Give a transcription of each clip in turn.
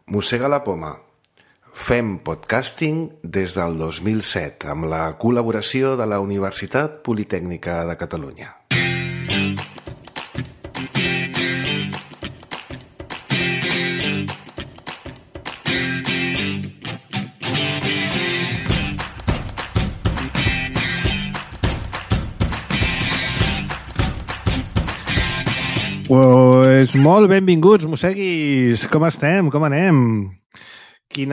Mossega la poma. Fem podcasting des del 2007 amb la col·laboració de la Universitat Politècnica de Catalunya. Pues molt benvinguts, mosseguis. Com estem? Com anem? Quin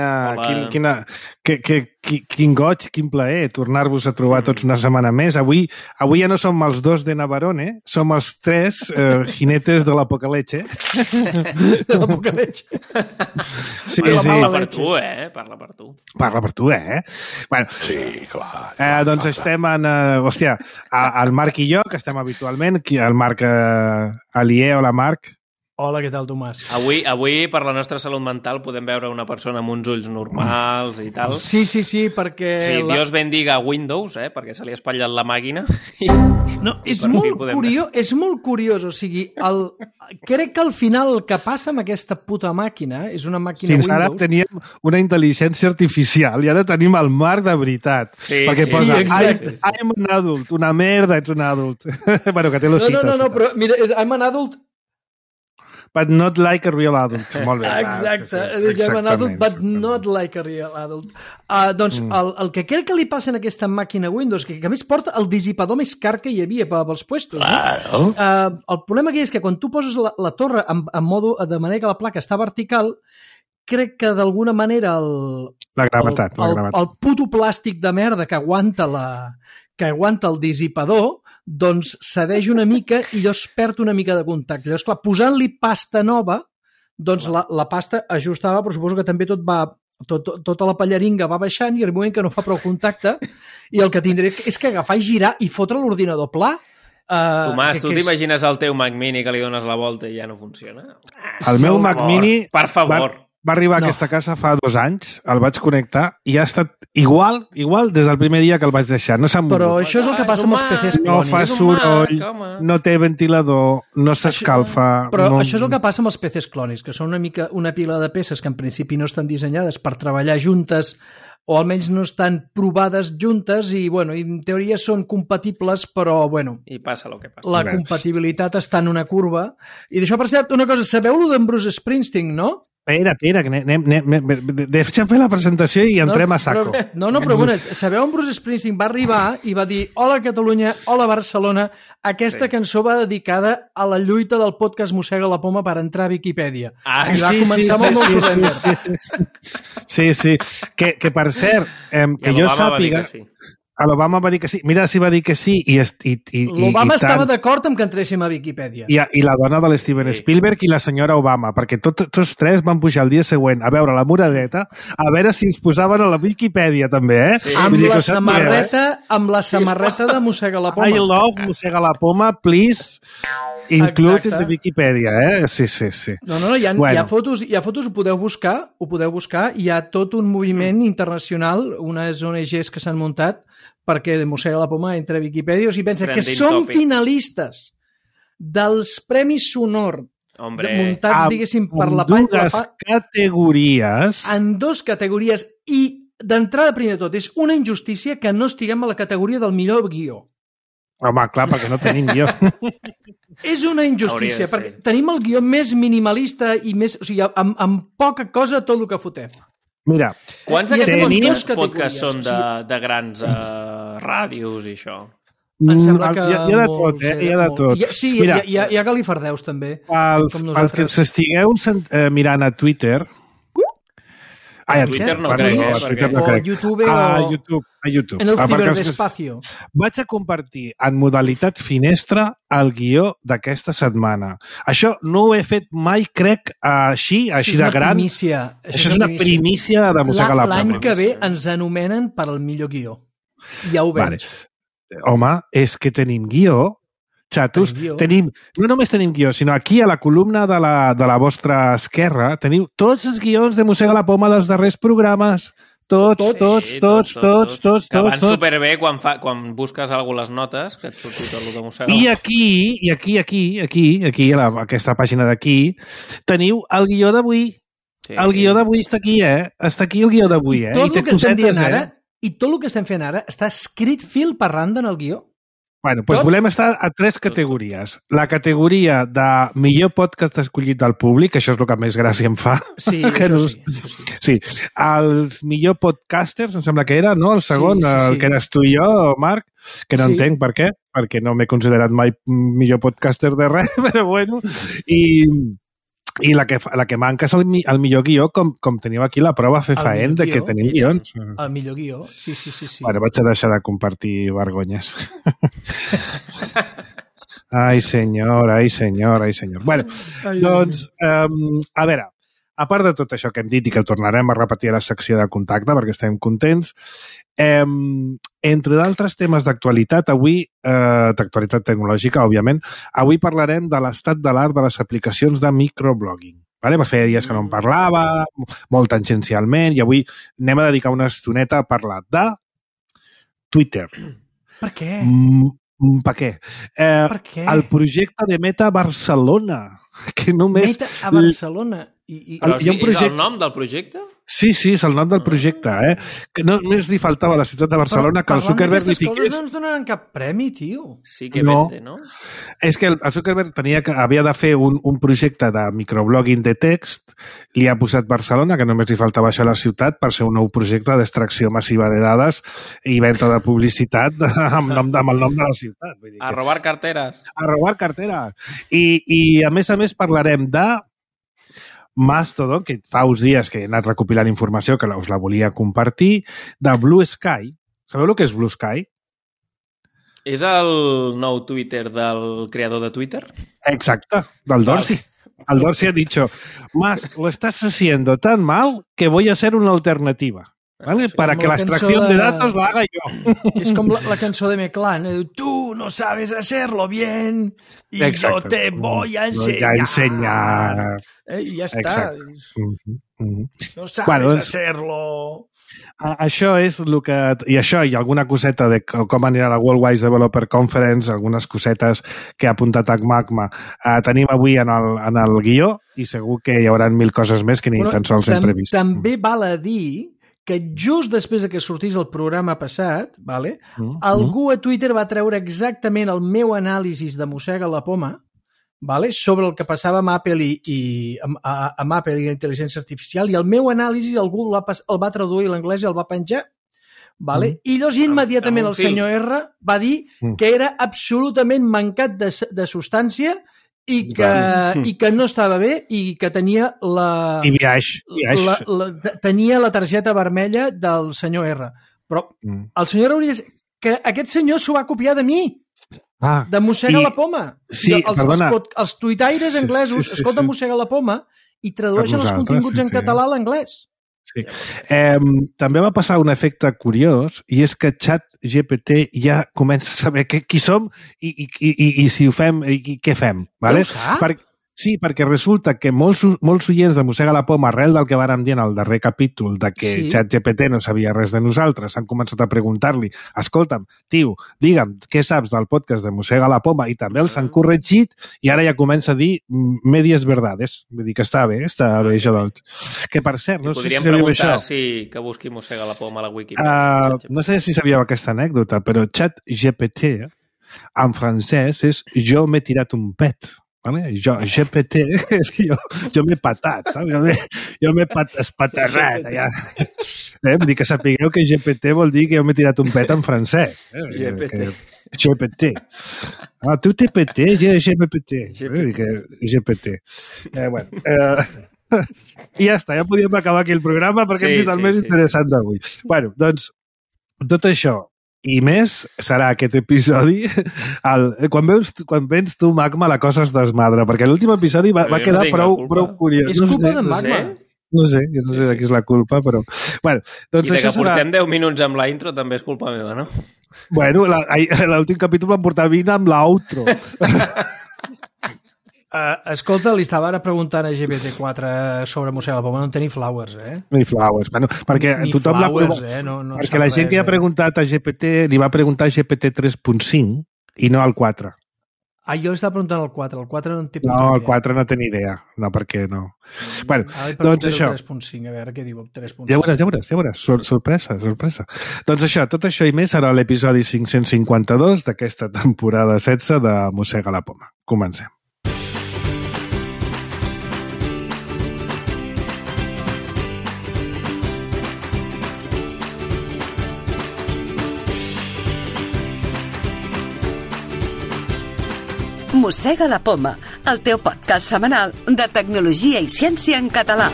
goig, quin plaer tornar-vos a trobar tots una setmana més. Avui ja no som els dos de Navarone, som els tres jinetes de l'apocaleche. De l'apocaleche. Sí, parla per tu, Parla per tu. Parla per tu, Bueno, sí, clar. Doncs estem en... el Marc i jo, que estem habitualment. El Marc Alier. Hola, Marc. Hola, què tal, Tomàs? Avui, per la nostra salut mental, podem veure una persona amb uns ulls normals i tal. Sí, perquè... Sí, Dios bendiga Windows, perquè se li ha espatllat la màquina. No, és molt curiós, o sigui, crec que al final el que passa amb aquesta puta màquina és una màquina Fins Windows... ara teníem una intel·ligència artificial i ara tenim el Marc de veritat. Sí, perquè posa, I'm an adult, una merda, ets un adult. Bueno, que té l'osita. No, però mira, I'm an adult... But not like a real adult. Molt bé. Exacte. I'm an adult, but not like a real adult. Doncs el que crec que li passa en aquesta màquina Windows, que a més porta el dissipador més car que hi havia pels puestos. Claro. El problema aquí és que quan tu poses la torre en modo, de manera que la placa està vertical, crec que d'alguna manera el puto plàstic de merda que aguanta el dissipador doncs cedeix una mica i llavors perd una mica de contacte. Llavors, clar, posant-li pasta nova, doncs la pasta ajustava, però suposo que també tota la pallaringa va baixant i arriba un moment que no fa prou contacte i el que tindré és que agafar i girar i fotre l'ordinador pla. Tomàs, tu t'imagines el teu Mac Mini que li dones la volta i ja no funciona? El meu Mac Mini... Per favor. Va arribar a aquesta casa fa 2 anys, el vaig connectar i ha estat igual des del primer dia que el vaig deixar. No s'ha mogut. Però això és el que passa amb els PCs clonis. No fa soroll, no té ventilador, no s'escalfa... Però això és el que passa amb els PCs clonis, que són una pila de peces que en principi no estan dissenyades per treballar juntes o almenys no estan provades juntes i, bueno, en teoria són compatibles, però, bueno... I passa el que passa. La compatibilitat està en una curva. I d'això, per cert, una cosa, sabeu-lo d'en Bruce Springsteen, no? Espera, deixa'm fer la presentació i entrem a saco. Però bueno, sabeu on Bruce Springsteen va arribar i va dir hola Catalunya, hola Barcelona, aquesta cançó va dedicada a la lluita del podcast Mossega la Poma per entrar a Viquipèdia. I va començar amb el meu surrender. Sí. Que per cert, que jo sàpiga... L'Obama va dir que sí. Mira si va dir que sí i l'Obama estava d'acord amb que entréssim a Viquipèdia. I la dona de l'Steven Spielberg i la senyora Obama, perquè tots tres van pujar el dia següent a veure la muradeta, a veure si ens posaven a la Viquipèdia també, Sí. Amb la samarreta de Mossega la Poma. I love Mossega la Poma, please include in the Viquipèdia, Sí. No, hi ha fotos, ho podeu buscar, hi ha tot un moviment internacional, unes ONGs que s'han muntat perquè Mossega la Poma entra a Viquipèdia. O sigui, pensa que som finalistes dels Premis Sonor muntats, diguéssim, per la palla. En 2 categories. En 2 categories. I, d'entrada, primer de tot, és una injustícia que no estiguem a la categoria del millor guió. Home, clar, perquè no tenim guió. És una injustícia, perquè tenim el guió més minimalista i més... O sigui, amb poca cosa tot el que fotem. Mira, quants d'aquests podcasts són de grans ràdios i això? Em sembla que... Hi ha de tot, hi ha de tot. Sí, hi ha galifardeus, també. Els que ens estigueu mirant a Twitter... A Twitter no crec, o a YouTube a YouTube. En el ciberespacio. Vaig a compartir en modalitat finestra el guió d'aquesta setmana. Això no ho he fet mai, crec, així de gran. Això és una primícia de Mossega la Poma. L'any que ve ens anomenen per al millor guió. Ja ho veig. Home, és que tenim guió. Xatos, no només tenim guió, sinó aquí a la columna de la vostra esquerra teniu tots els guions de Mossega la Poma dels darrers programes. Tots. Que van superbé quan busques algú les notes, que et surti tot el de Mossega. I aquí, a aquesta pàgina d'aquí, teniu el guió d'avui. El guió d'avui està aquí, Està aquí el guió d'avui, I tot el que estem dient ara, i tot el que estem fent ara, està escrit fil per randa en el guió. Bueno, doncs volem estar a 3 categories. La categoria de millor podcast escollit del públic, això és el que més gràcia em fa. Sí, això sí. Sí, els millor podcasters, em sembla que era, no? El segon, el que eres tu i jo, Marc, que no entenc per què, perquè no m'he considerat mai millor podcaster de res, però bueno. I la que manca és el millor guió, com teniu aquí la prova fefaent de que tenim guions. El millor guió, sí. Bueno, vaig a deixar de compartir vergonyes. Ai, senyor. Bueno, doncs, a veure, a part de tot això que hem dit i que tornarem a repetir a la secció de contacte perquè estem contents, entre d'altres temes d'actualitat, avui, d'actualitat tecnològica, òbviament, avui parlarem de l'estat de l'art de les aplicacions de microblogging. Vale? Feia dies que no en parlava, molt tangencialment, i avui anem a dedicar una estoneta a parlar de Twitter. Per què? Per què? Per què? El projecte de Meta Barcelona, que només... Meta a Barcelona. Però és el nom del projecte? Sí, és el nom del projecte, Que només li faltava a la ciutat de Barcelona que el Zuckerberg li fiqués... Coses no ens donaran cap premi, tio. Sí que vende, no? És que el Zuckerberg havia de fer un projecte de microblogging de text, li ha posat Barcelona, que només li faltava això a la ciutat, per ser un nou projecte d'extracció massiva de dades i venda de publicitat amb el nom de la ciutat. Vull dir a robar carteres. A robar carteres. I a més parlarem de Mastodon, que fa uns dies que he anat recopilant informació que us la volia compartir, de Blue Sky. Sabeu el que és Blue Sky? És el nou Twitter del creador de Twitter? Exacte, del Dorsey. El Dorsey ha dicho, Musk, lo estás haciendo tan mal que voy a ser una alternativa. ¿Vale? Para que la extracción de datos la haga yo. És com la cançó de Meclán. Tu no sabes hacerlo bien y yo te voy a enseñar. I ja està. No sabes hacerlo. Això és el que... I això, i alguna coseta de com anirà la Worldwide Developer Conference, algunes cosetes que ha apuntat a Magma, tenim avui en el guió i segur que hi haurà 1000 coses més que ni tan sols hem previst. També val a dir que just després que sortís el programa passat, algú a Twitter va treure exactament el meu anàlisi de Mossega la Poma sobre el que passava amb Apple amb Apple i la intel·ligència artificial, i el meu anàlisi algú el va traduir a l'anglès i el va penjar. I llavors immediatament el senyor R va dir que era absolutament mancat de substància i que no estava bé i que tenia tenia la targeta vermella del senyor R. Però el senyor R hauria de dir que aquest senyor s'ho va copiar de mi, de Mossega la Poma. Sí, els tuitaires anglesos escolten Mossega la Poma i tradueixen els continguts en català a l'anglès. Sí. També va passar un efecte curiós i és que ChatGPT ja comença a saber qui som i si ho fem i què fem. Vale? Ja ho sap? Sí, perquè resulta que molts oients de Mossega la Poma, arrel del que vàrem dir en el darrer capítol de que ChatGPT no sabia res de nosaltres, han començat a preguntar-li, escolta'm, tio, digue'm, què saps del podcast de Mossega la Poma? I també els han corregit i ara ja comença a dir medias verdades. Vull dir que està bé això doncs. Que per cert, no sé si sabíeu això. Podríem preguntar que busqui Mossega la Poma a la Wikipedia. No sé si sabíeu aquesta anècdota, però ChatGPT en francès és jo m'he tirat un pet. Vale? GPT, és que jo m'he patat, saps? Jo m'he espaterrat, allà. Vull dir que sapigueu que GPT vol dir que jo m'he tirat un pet en francès. GPT. Tu TPT, GPT. GPT. I ja està, ja podíem acabar aquí el programa perquè hem dit el més interessant d'avui. Bueno, doncs, tot això i més serà aquest episodi. Quan vens tu, Magma, la cosa es desmadra, perquè l'últim episodi va quedar prou curiós. És culpa de Magma. No sé de qui és la culpa, però... Bueno, doncs i de que portem 10 minuts amb la intro també és culpa meva, no? Bueno, l'últim capítol vam portar 20 amb l'outro. Escolta, li estava ara preguntant a GPT-4 sobre Mossega la Poma, no tenir flowers, No hi flowers, bueno, perquè tothom l'ha provat. Perquè la gent que ha preguntat a GPT, li va preguntar a GPT 3.5 i no al 4. Jo estava preguntant el 4. El 4 no en té puta idea. No, el 4 no té ni idea. No, perquè no. Bueno, doncs això. 3.5, a veure què diu el 3.5. Ja veuràs. Sorpresa. Doncs això, tot això i més serà l'episodi 552 d'aquesta temporada 16 de Mossega la Poma. Comencem. Mossega la Poma, el teu podcast setmanal de tecnologia i ciència en català.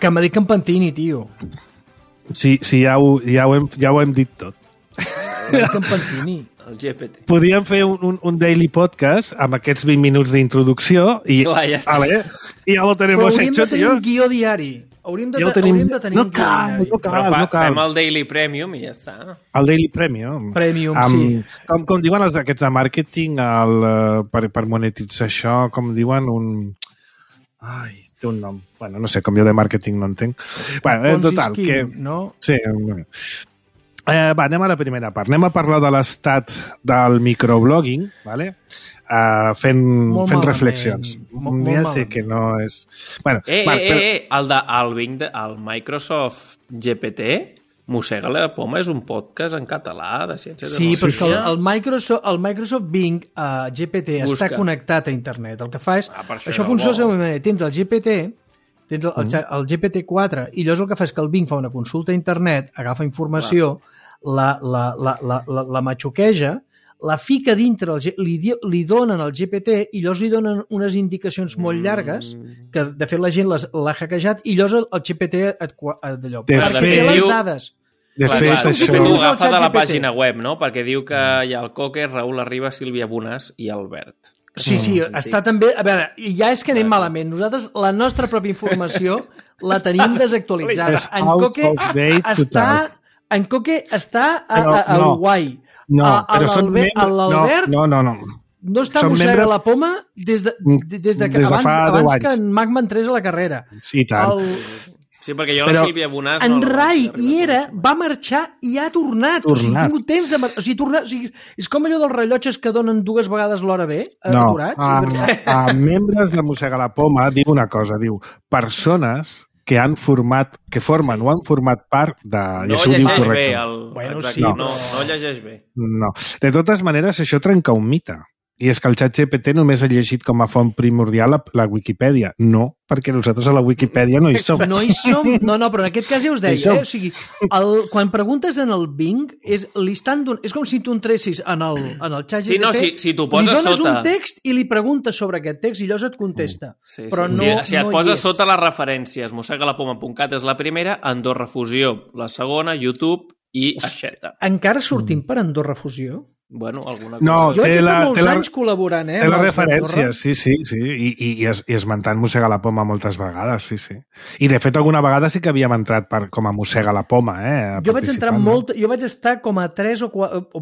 Que m'ha dit que em pentini, tio. Sí, ja ho hem dit tot. Que em pentini. El GPT. Podíem fer un daily podcast amb aquests 20 minuts d'introducció i, clar, ja està. I ja ho tenim hecho, tio. Però hauríem de tenir un guió diari. Hauríem de tenir un guió diari. No cal. Fem el Daily Premium i ja està. El Daily Premium. Sí. Com diuen els d'aquests de màrqueting per monetitzar això, com diuen Ai, té un nom. Bueno, no sé, com jo de màrqueting no entenc. Bueno, total, que... no? Sí, anem a la primera part. Anem a parlar de l'estat del microblogging, ¿vale? Fent reflexions. Ja sé que no és... Bueno, el Microsoft GPT, Mossega la Poma, és un podcast en català de ciència de Sí, però el Microsoft Bing GPT està connectat a internet. El que fa és... això funciona de la manera. Tens el GPT, tens el GPT-4, i llavors el que fa és que el Bing fa una consulta a internet, agafa informació, la matxuqueja, la fica dintre, li donen el GPT i llavors li donen unes indicacions molt llargues que, de fet, la gent l'ha hackejat i llavors el GPT d'allò. Perquè té les dades. De fet, això ho agafa de la pàgina web, no? Perquè diu que hi ha el Coque, Raül Arriba, Sílvia Bonàs i Albert. Sí, està també... A veure, ja és que anem malament. Nosaltres, la nostra pròpia informació la tenim desactualitzada. En Coque està a Uruguai. No, però són l'Albert no està Mossega la Poma des que abans que en Magma entrés a la carrera. Sí, tant. Sí, perquè jo la Sílvia Bonàs... En Rai va marxar i ha tornat. O sigui, ha tingut temps de... O sigui, és com allò dels rellotges que donen 2 vegades l'hora B, aturats. A membres de Mossega la Poma diu una cosa, diu, persones que han format, que formen o han format part de... No llegeix bé. No llegeix bé. No. De totes maneres, això trenca un mite. I és que el ChatGPT només ha llegit com a font primordial la Wikipedia. No, perquè nosaltres a la Wikipedia no hi som. No hi som? No, però en aquest cas ja us deia. O sigui, quan preguntes en el Bing, és com si tu entressis en el ChatGPT, sí, no, si tu poses li dones sota un text i li preguntes sobre aquest text i llavors et contesta. Sí. Si et poses sota les referències, mossegalapoma.cat és la primera, Andorra Fusió la segona, YouTube i Aixeta. Encara sortim per Andorra Fusió? Bueno, alguna cosa. No, jo vaig estar molts anys col·laborant, té les referències, sí. I esmentant Mossega la Poma moltes vegades, sí. I, de fet, alguna vegada sí que havíem entrat com a Mossega la Poma, Jo vaig estar com a 3 o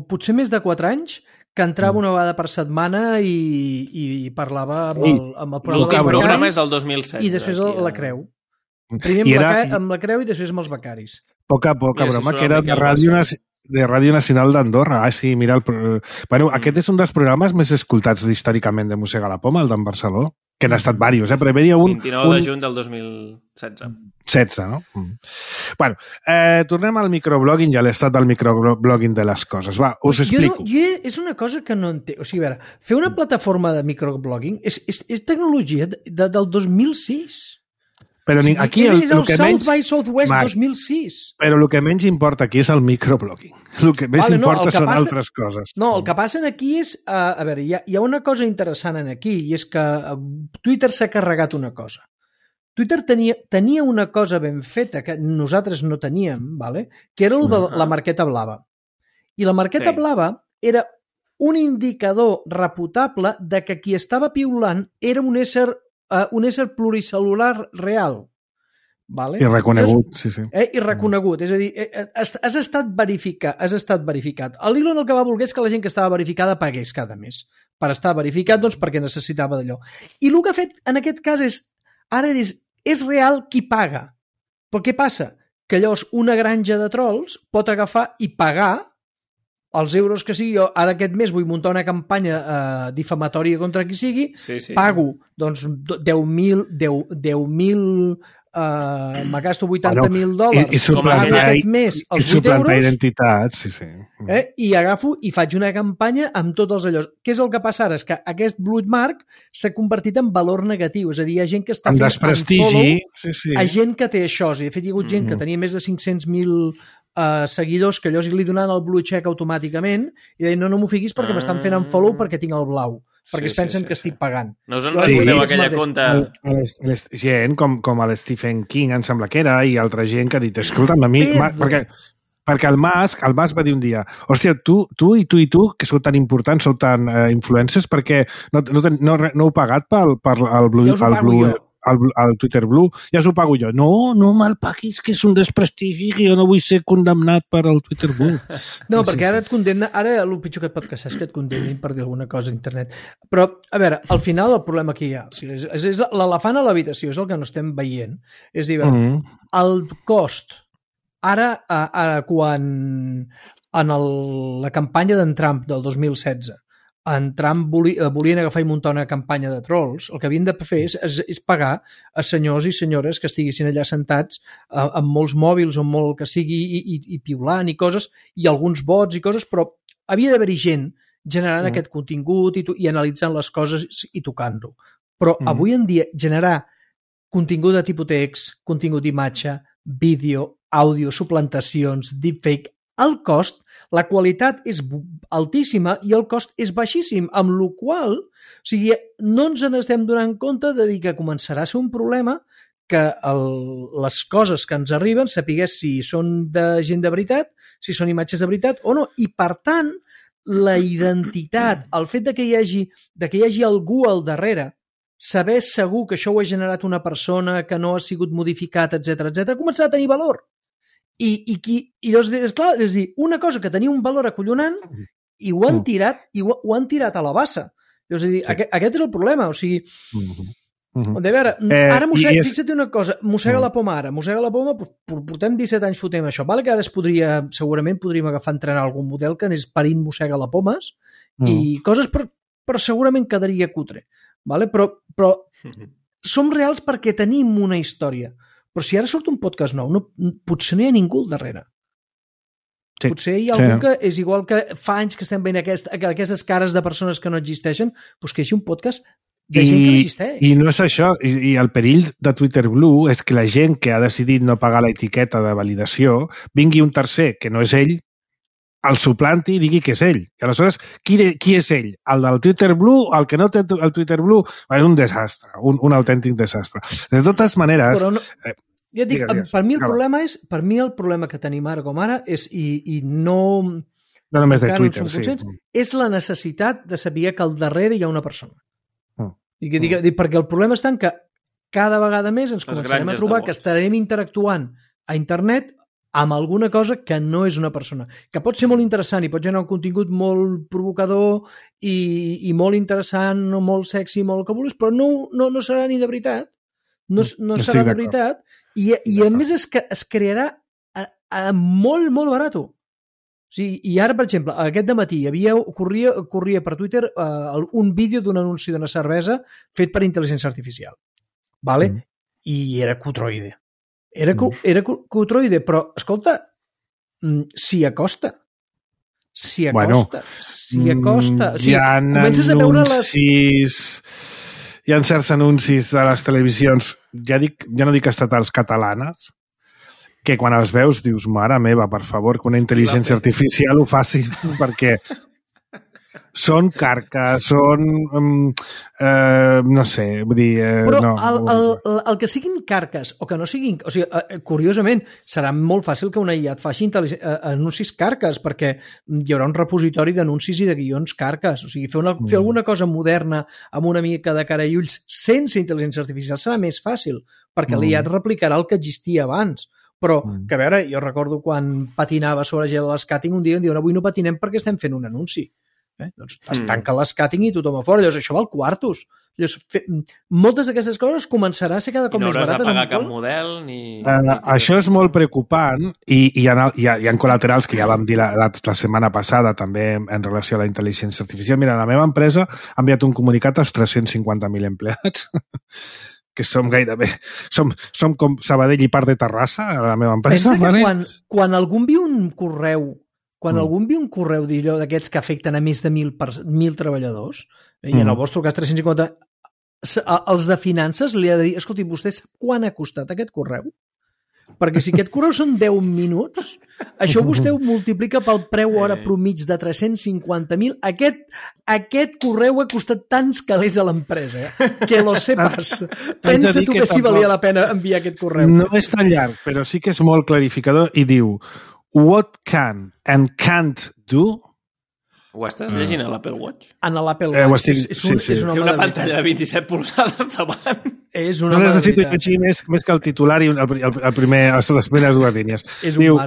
potser més de 4 anys que entrava una vegada per setmana i parlava amb el programa L'últim programa és el 2007. I després la Creu. Primer amb la Creu i després amb els becaris. Poca broma, que era de Ràdio Nacional d'Andorra. Sí, mira... Bueno, aquest és un dels programes més escoltats històricament de Mossega la Poma, el d'en Barceló, que n'ha estat diversos, però hi havia 29 de juny del 2016. 16, no? Bueno, tornem al microblogging i a l'estat del microblogging de les coses. Va, us explico. És una cosa que no entenc. O sigui, a veure, fer una plataforma de microblogging és tecnologia del 2006. Però aquí és el South by Southwest 2006. Però el que menys importa aquí és el microblogging. El que més importa són altres coses. No, el que passa aquí és... A veure, hi ha una cosa interessant aquí, i és que Twitter s'ha carregat una cosa. Twitter tenia una cosa ben feta que nosaltres no teníem, que era el de la marqueta blava. I la marqueta blava era un indicador reputable de que qui estava piulant era un ésser pluricel·lular real. I reconegut, sí. I reconegut, és a dir, has estat verificat. L'Elon el que va voler és que la gent que estava verificada pagués cada mes. Per estar verificat, doncs, perquè necessitava d'allò. I el que ha fet en aquest cas és real qui paga. Però què passa? Que llavors una granja de trolls pot agafar i pagar els euros que sigui. Jo ara aquest mes vull muntar una campanya difamatòria contra qui sigui, pago doncs 10.000 me gasto $80.000 i suplantar identitats, i agafo i faig una campanya amb tots els allò. Què és el que passa ara? És que aquest blue mark s'ha convertit en valor negatiu, és a dir, hi ha gent que està fent unfollow a gent que té això. De fet, hi ha hagut gent que tenia més de 500.000 seguidors que allò li donaven el blue check automàticament i deien, no m'ho fiquis perquè m'estan fent unfollow perquè tinc el blau, perquè es pensen que estic pagant. No us en recordeu aquella compte? Gent com l'Stephen King, em sembla que era, i altra gent que ha dit, escolta'm, a mi... Perquè el Mas va dir un dia, hòstia, tu, que sou tan importants, sou tan influencers, perquè no heu pagat pel Twitter Blue, ja us ho pago jo. No me'l paguis, que és un desprestigi, que jo no vull ser condemnat per el Twitter Blue. No, perquè ara et condemna, ara el pitjor que et pot passar és que et condemnin per dir alguna cosa a internet. Però, a veure, al final el problema que hi ha, és l'elefant a l'habitació, és el que no estem veient. És a dir, el cost, ara quan en la campanya d'en Trump del 2016 en Trump volien agafar i muntar una campanya de trolls, el que havien de fer és pagar a senyors i senyores que estiguessin allà sentats amb molts mòbils o amb molt que sigui i piulant i coses, i alguns bots i coses, però havia d'haver-hi gent generant aquest contingut i analitzant les coses i tocant-lo. Però avui en dia generar contingut de tipus text, contingut d'imatge, vídeo, àudio, suplantacions, deepfake, el cost, la qualitat és altíssima i el cost és baixíssim, amb la qual cosa, o sigui, no ens n'estem donant compte de dir que començarà a ser un problema que les coses que ens arriben sapigués si són de gent de veritat, si són imatges de veritat o no, i per tant la identitat, el fet que hi hagi algú al darrere, saber segur que això ho ha generat una persona, que no ha sigut modificat, etc, començarà a tenir valor. I llavors, clar, és dir, una cosa que tenia un valor acollonant i ho han tirat a la bassa. És a dir, aquest és el problema, o sigui... De veure, ara fixa't una cosa, mossega la poma ara, portem 17 anys fotem això, vale que ara segurament podríem agafar entrenar algun model que anés parint mossega la pomes i coses, però segurament quedaria cutre, vale? Però som reals perquè tenim una història. Però si ara surt un podcast nou, potser no hi ha ningú al darrere. Sí, potser hi ha algú que és igual que fa anys que estem veient aquestes cares de persones que no existeixen, doncs que hi hagi un podcast de gent que no existeix. I no és això. I el perill de Twitter Blue és que la gent que ha decidit no pagar l'etiqueta de validació vingui un tercer, que no és ell, el suplanti i digui que és ell. I aleshores, qui és ell? El del Twitter Blue? El que no té el Twitter Blue? És un desastre, un autèntic desastre. De totes maneres... Ja dic, per mi el problema que tenim ara com ara és, i no... No només de Twitter, és la necessitat de saber que al darrere hi ha una persona. Perquè el problema està en que cada vegada més ens començarem a trobar que estarem interactuant a internet amb alguna cosa que no és una persona, que pot ser molt interessant i pot generar un contingut molt provocador i molt interessant, molt sexy, molt que vulguis, però no serà ni de veritat, no serà de veritat, i a més es crearà molt, molt barat. O sigui, i ara, per exemple, aquest dematí corria per Twitter un vídeo d'un anunci d'una cervesa fet per intel·ligència artificial, vale? I era cutroide. Era cutroide, però, escolta, s'hi acosta. S'hi acosta. O sigui, comences a veure hi ha certs anuncis de les televisions, ja no dic estatals, catalanes, que quan els veus dius, mare meva, per favor, que una intel·ligència artificial ho faci, perquè són carques, són... no sé, vull dir... Però el que siguin carques o que no siguin... O sigui, curiosament, serà molt fàcil que una IA et faci anuncis carques, perquè hi haurà un repositori d'anuncis i de guions carques. O sigui, fer alguna cosa moderna amb una mica de cara i ulls sense intel·ligència artificial serà més fàcil, perquè l'IA et replicarà el que existia abans. Però, que a veure, jo recordo quan patinava sobre gel a l'escàting un dia em diuen, avui no patinem perquè estem fent un anunci. Doncs es tanca l'escàting i tothom a fora. Llavors, això val quartos. Moltes d'aquestes coses començarà a ser cada cop més barates. I no hauràs de pagar cap model ni... Això és molt preocupant i hi ha col·laterals que ja vam dir la setmana passada també en relació a la intel·ligència artificial. Mira, la meva empresa ha enviat un comunicat als 350.000 empleats que som gairebé... Som com Sabadell i part de Terrassa, a la meva empresa. Pensa que quan algú envia un correu d'aquests que afecten a més de 1.000 treballadors, i en el vostre cas 350, els de finances li ha de dir, escolti, vostè sap quan ha costat aquest correu? Perquè si aquest correu són 10 minuts, això vostè ho multiplica pel preu hora promig de 350.000. Aquest correu ha costat tants calés a l'empresa, que lo sepas. Pensa tu que sí valia la pena enviar aquest correu. No és tan llarg, però sí que és molt clarificador i diu what can and can't do. Ho estàs llegint a l'Apple Watch? En l'Apple Watch. És una pantalla de 27 polzades davant. És una no necessito llegir més que el titular i les primeres dues línies. Diu,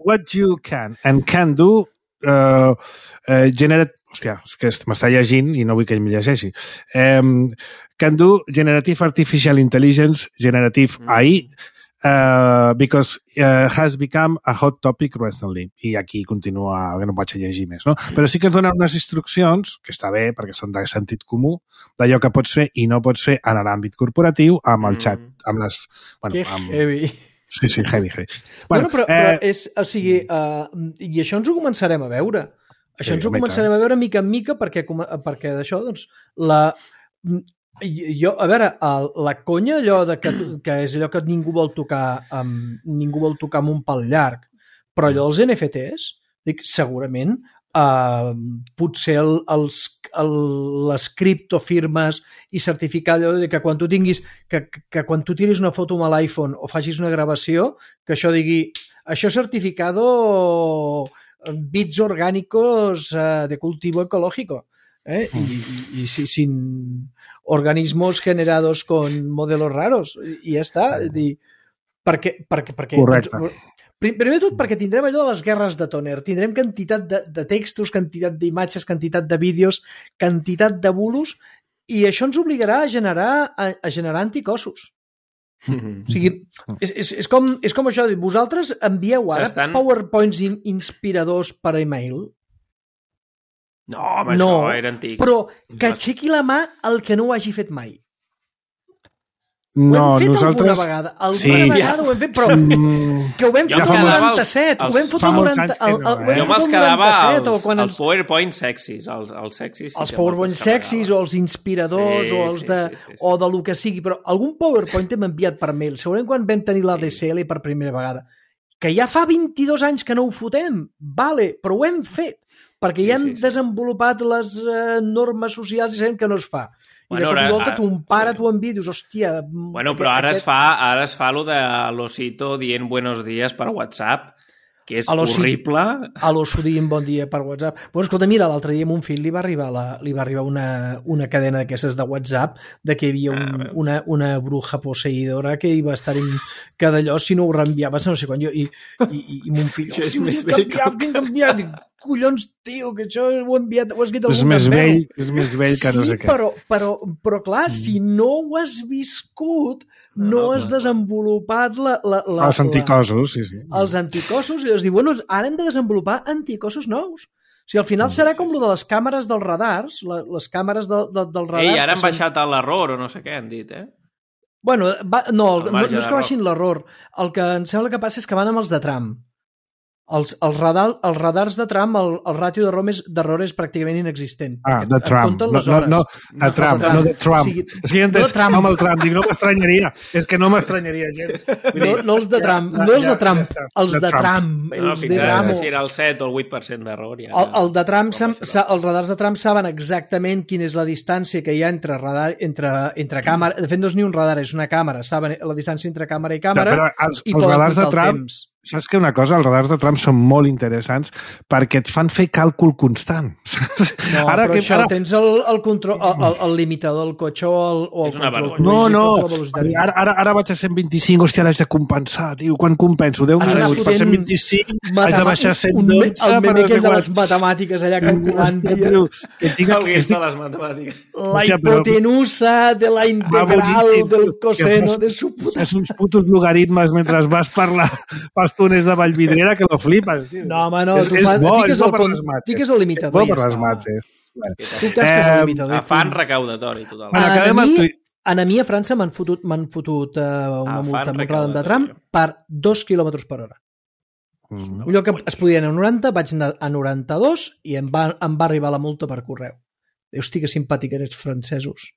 what you can and can do generate... Hòstia, és que m'està llegint i no vull que ell m'hi llegeixi. Can do generative artificial intelligence, generative AI, because has become a hot topic recently. I aquí continua, que no vaig a llegir més, no? Però sí que ens donen unes instruccions, que està bé, perquè són de sentit comú, d'allò que pots fer i no pots fer en l'àmbit corporatiu, amb el xat, amb les... Que heavy. Sí, heavy. Bueno, però és... O sigui, i això ens ho començarem a veure. Això ens ho començarem a veure mica en mica, perquè d'això, doncs, a veure, la conya allò que és allò que ningú vol tocar amb un pal llarg, però allò dels NFTs, dic, segurament potser les criptofirmes i certificar allò de que quan tu tinguis que quan tu tiris una foto amb l'iPhone o facis una gravació, que això digui això certificado bits orgánicos de cultivo ecológico. Y sin organismos generados con modelos raros i ja està, perquè correcte. Primer de tot perquè tindrem allò de les guerres de tòner, tindrem quantitat de textos, quantitat d'imatges, quantitat de vídeos, quantitat de bulos, i això ens obligarà a generar anticossos. O sigui, és com això, vosaltres envieu ara PowerPoints inspiradors per email? No, home, això era antic. Però que aixequi la mà el que no ho hagi fet mai. No, ho hem fet nosaltres... alguna vegada. Alguna vegada ho hem fet, però que ho vam fer el 97. Ho vam fer el 97. Jo me'ls quedava els PowerPoint sexis. Els PowerPoint sexis o els inspiradors o de lo que sigui. Però algun PowerPoint hem enviat per mail. Segurament quan vam tenir l'ADSL per primera vegada. Que ja fa 22 anys que no ho fotem. Vale, però ho hem fet. Perquè ja han desenvolupat les normes socials i sabem que no es fa. I de cop i volta ton pare t'ho envia i dius, hòstia... Bueno, però ara es fa lo de l'Osito dient buenos días per WhatsApp, que és horrible. A l'oso dient bon dia per WhatsApp. Bueno, escolta, mira, l'altre dia a mon fill li va arribar una cadena d'aquestes de WhatsApp de que hi havia una bruja posseïdora que hi va estar que d'allò, si no ho reenviaves, no sé quan jo... I mon fill... Això és més vell que... Dic, collons, tio, que això ho he enviat, ho has escrit algun veu. És més vell que no sé què. Però clar, si no ho has viscut, no has desenvolupat els anticossos, sí. Els anticossos, i llavors diu, bueno, ara hem de desenvolupar anticossos nous. O sigui, al final serà com lo de les càmeres dels radars, les càmeres dels radars... Ei, ara han baixat l'error o no sé què han dit, Bueno, no és que baixin l'error. El que em sembla que passa és que van amb els de tram. Els radars de tram, el ràtio d'error és pràcticament inexistent. De Trump. No de Trump. És que jo entès amb el Trump. Dic, no m'estranyaria. És que no m'estranyaria gens. No els de Trump. No els de Trump. Els de Trump. Els de Trump. No sé si era el 7 o el 8% d'error. El de Trump, els radars de Trump saben exactament quina és la distància que hi ha entre càmera. De fet, no és ni un radar, és una càmera. Saben la distància entre càmera i càmera. Però els radars de Trump Saps que una cosa, els radars de Trump són molt interessants perquè et fan fer càlcul constant. No, ara però això tens el control, el limitador del cotxe o el control. No. Ara vaig a 125, hòstia, l'haig de compensar, tio. Quan compenso? 10 minuts per 125, haig de baixar 112... El meme aquell de les matemàtiques allà calculant. El de les matemàtiques. La hipotenusa de la integral del coseno de su puta... És uns putos logaritmes mentre vas per túnels de Vallvidrera que lo flipes. Tio. No, home, no. Fiques el limitador. Per les mates. Tu casques el limitador. Afany recaudatori, total. A mi a França m'han fotut una multa molt gran de tram per 2 km per hora. Un lloc que es podia anar a 90, vaig anar a 92 i em va arribar la multa per correu. Hosti, que simpàtic eres, francesos.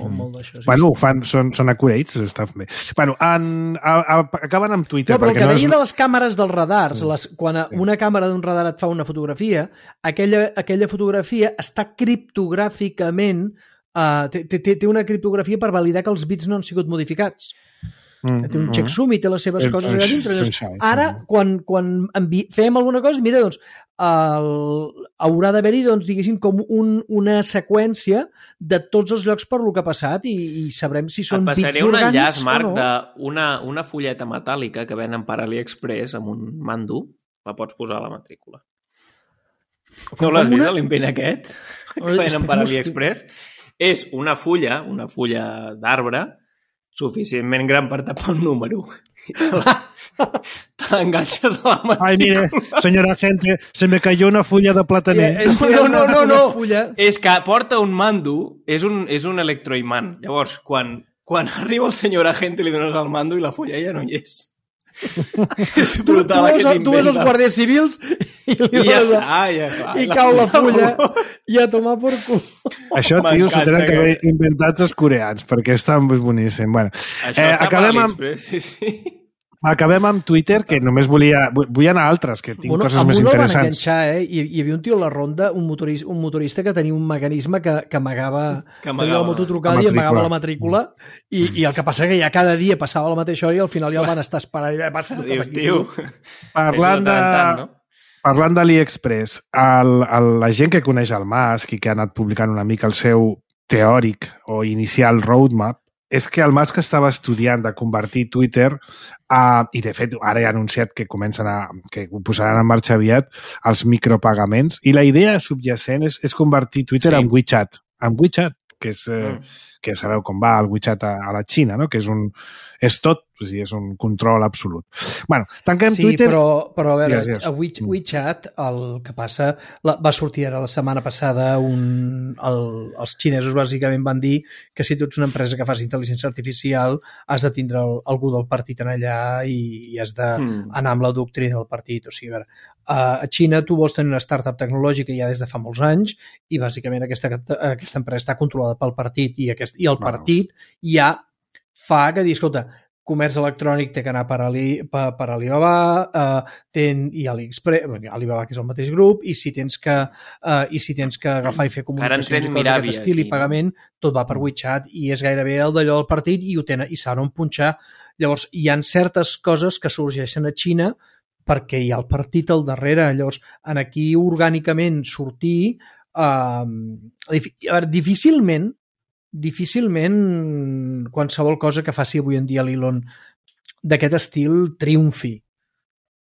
Molt d'això. Bueno, són accurates, està bé. Bueno, acaben amb Twitter. No, però el que deia de les càmeres dels radars, quan una càmera d'un radar et fa una fotografia, aquella fotografia està criptogràficament, té una criptografia per validar que els bits no han sigut modificats. Té un checksum i té les seves coses allà dintre. Ara, quan fèiem alguna cosa, mira, doncs, haurà d'haver-hi, doncs, diguéssim, com una seqüència de tots els llocs per lo que ha passat i sabrem si són bits orgànics o no. Et passaré un enllaç, Marc, d'una fulleta metàl·lica que venen per AliExpress amb un mando, la pots posar a la matrícula. No l'has vist, l'invent aquest? Que venen per AliExpress? És una fulla d'arbre suficientment gran per tapar un número. Te l'enganxes a la matrícula. Ai, mire, senyora gente, se me cayó una fulla de plataner. No. És que porta un mando, és un electroimant. Llavors, quan arriba el senyor agente li dones el mando i la fulla ja no hi és. És brutal aquest invent. Tu ves els guàrdies civils i cau la fulla i a tomar per cul. Això, tio, s'ho tenen que haver inventat els coreans, perquè està boníssim. Bueno, això està per AliExpress, sí. Acabem amb Twitter, que només vull anar a altres, que tinc coses més interessants. Van enganxar, hi havia un tio a la ronda, un motorista que tenia un mecanisme que amagava la mototrucada i amagava la matrícula, i el que passa que ja cada dia passava la mateixa hora i al final ja el van estar esperant. Tio. Parlant d'AliExpress, la gent que coneix el Musk i que ha anat publicant una mica el seu teòric o inicial roadmap, és que el Musk estava estudiant de convertir Twitter i, de fet, ara ja ha anunciat que que ho posaran en marxa aviat, els micropagaments. I la idea subjacent és convertir Twitter en WeChat. En WeChat, que ja sabeu com va el WeChat a la Xina, no? Que és tot, és un control absolut. Bueno, tanquem Twitter... Sí, però a veure, a WeChat el que passa... Va sortir ara la setmana passada els xinesos bàsicament van dir que si tu ets una empresa que fas intel·ligència artificial has de tindre algú del partit en allà i has d'anar amb la doctrina del partit. O sigui, a veure, a Xina tu vols tenir una startup tecnològica ja des de fa molts anys i bàsicament aquesta empresa està controlada pel partit i el partit ja fa que dir, escolta, comerç electrònic té que anar per Alibaba i AliExpress, Alibaba que és el mateix grup, i si tens que agafar i fer comunicacions i coses d'aquest estil i pagament, tot va per WeChat i és gairebé el d'allò del partit i saben on punxar. Llavors, hi ha certes coses que sorgeixen a Xina perquè hi ha el partit al darrere. Llavors, aquí orgànicament sortir difícilment qualsevol cosa que faci avui en dia l'Elon d'aquest estil triomfi.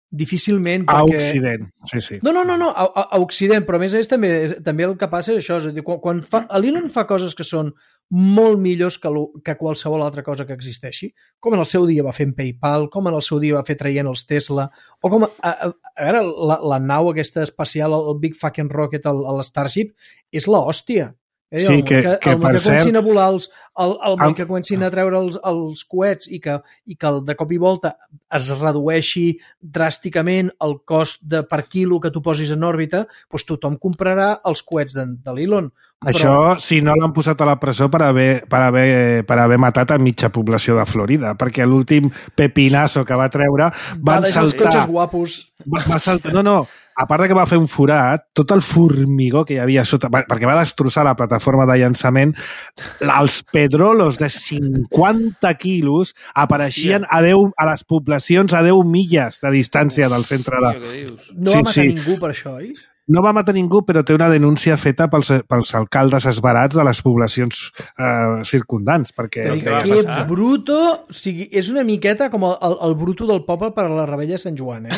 Difícilment perquè... A Occident, sí. No, a Occident, però a més també el que passa és això, és a dir, quan l'Elon fa coses que són molt millors que qualsevol altra cosa que existeixi, com en el seu dia va fer en PayPal, com en el seu dia va fer traient els Tesla, o com a veure, la nau aquesta espacial, el Big Fucking Rocket, l'Starship, és l'hòstia. Sí, que comencin a volar que comencin a treure els coets i que de cop i volta es redueixi dràsticament el cost per quilo que tu posis en òrbita, doncs tothom comprarà els coets de l'Elon. Això si no l'han posat a la presó per haver matat a mitja població de Florida, perquè l'últim pepinazo que va treure van saltar... cotxes guapos. Va saltar, no, a part que va fer un forat, tot el formigó que hi havia sota, perquè va destrossar la plataforma de llançament, els pedrolos de 50 quilos apareixien a les poblacions a 10 milles de distància del centre de... No va matar ningú per això, oi? No va matar ningú, però té una denúncia feta pels alcaldes esbarats de les poblacions circundants. Perquè que bruto... O sigui, és una miqueta com el bruto del poble per a la rebella de Sant Joan,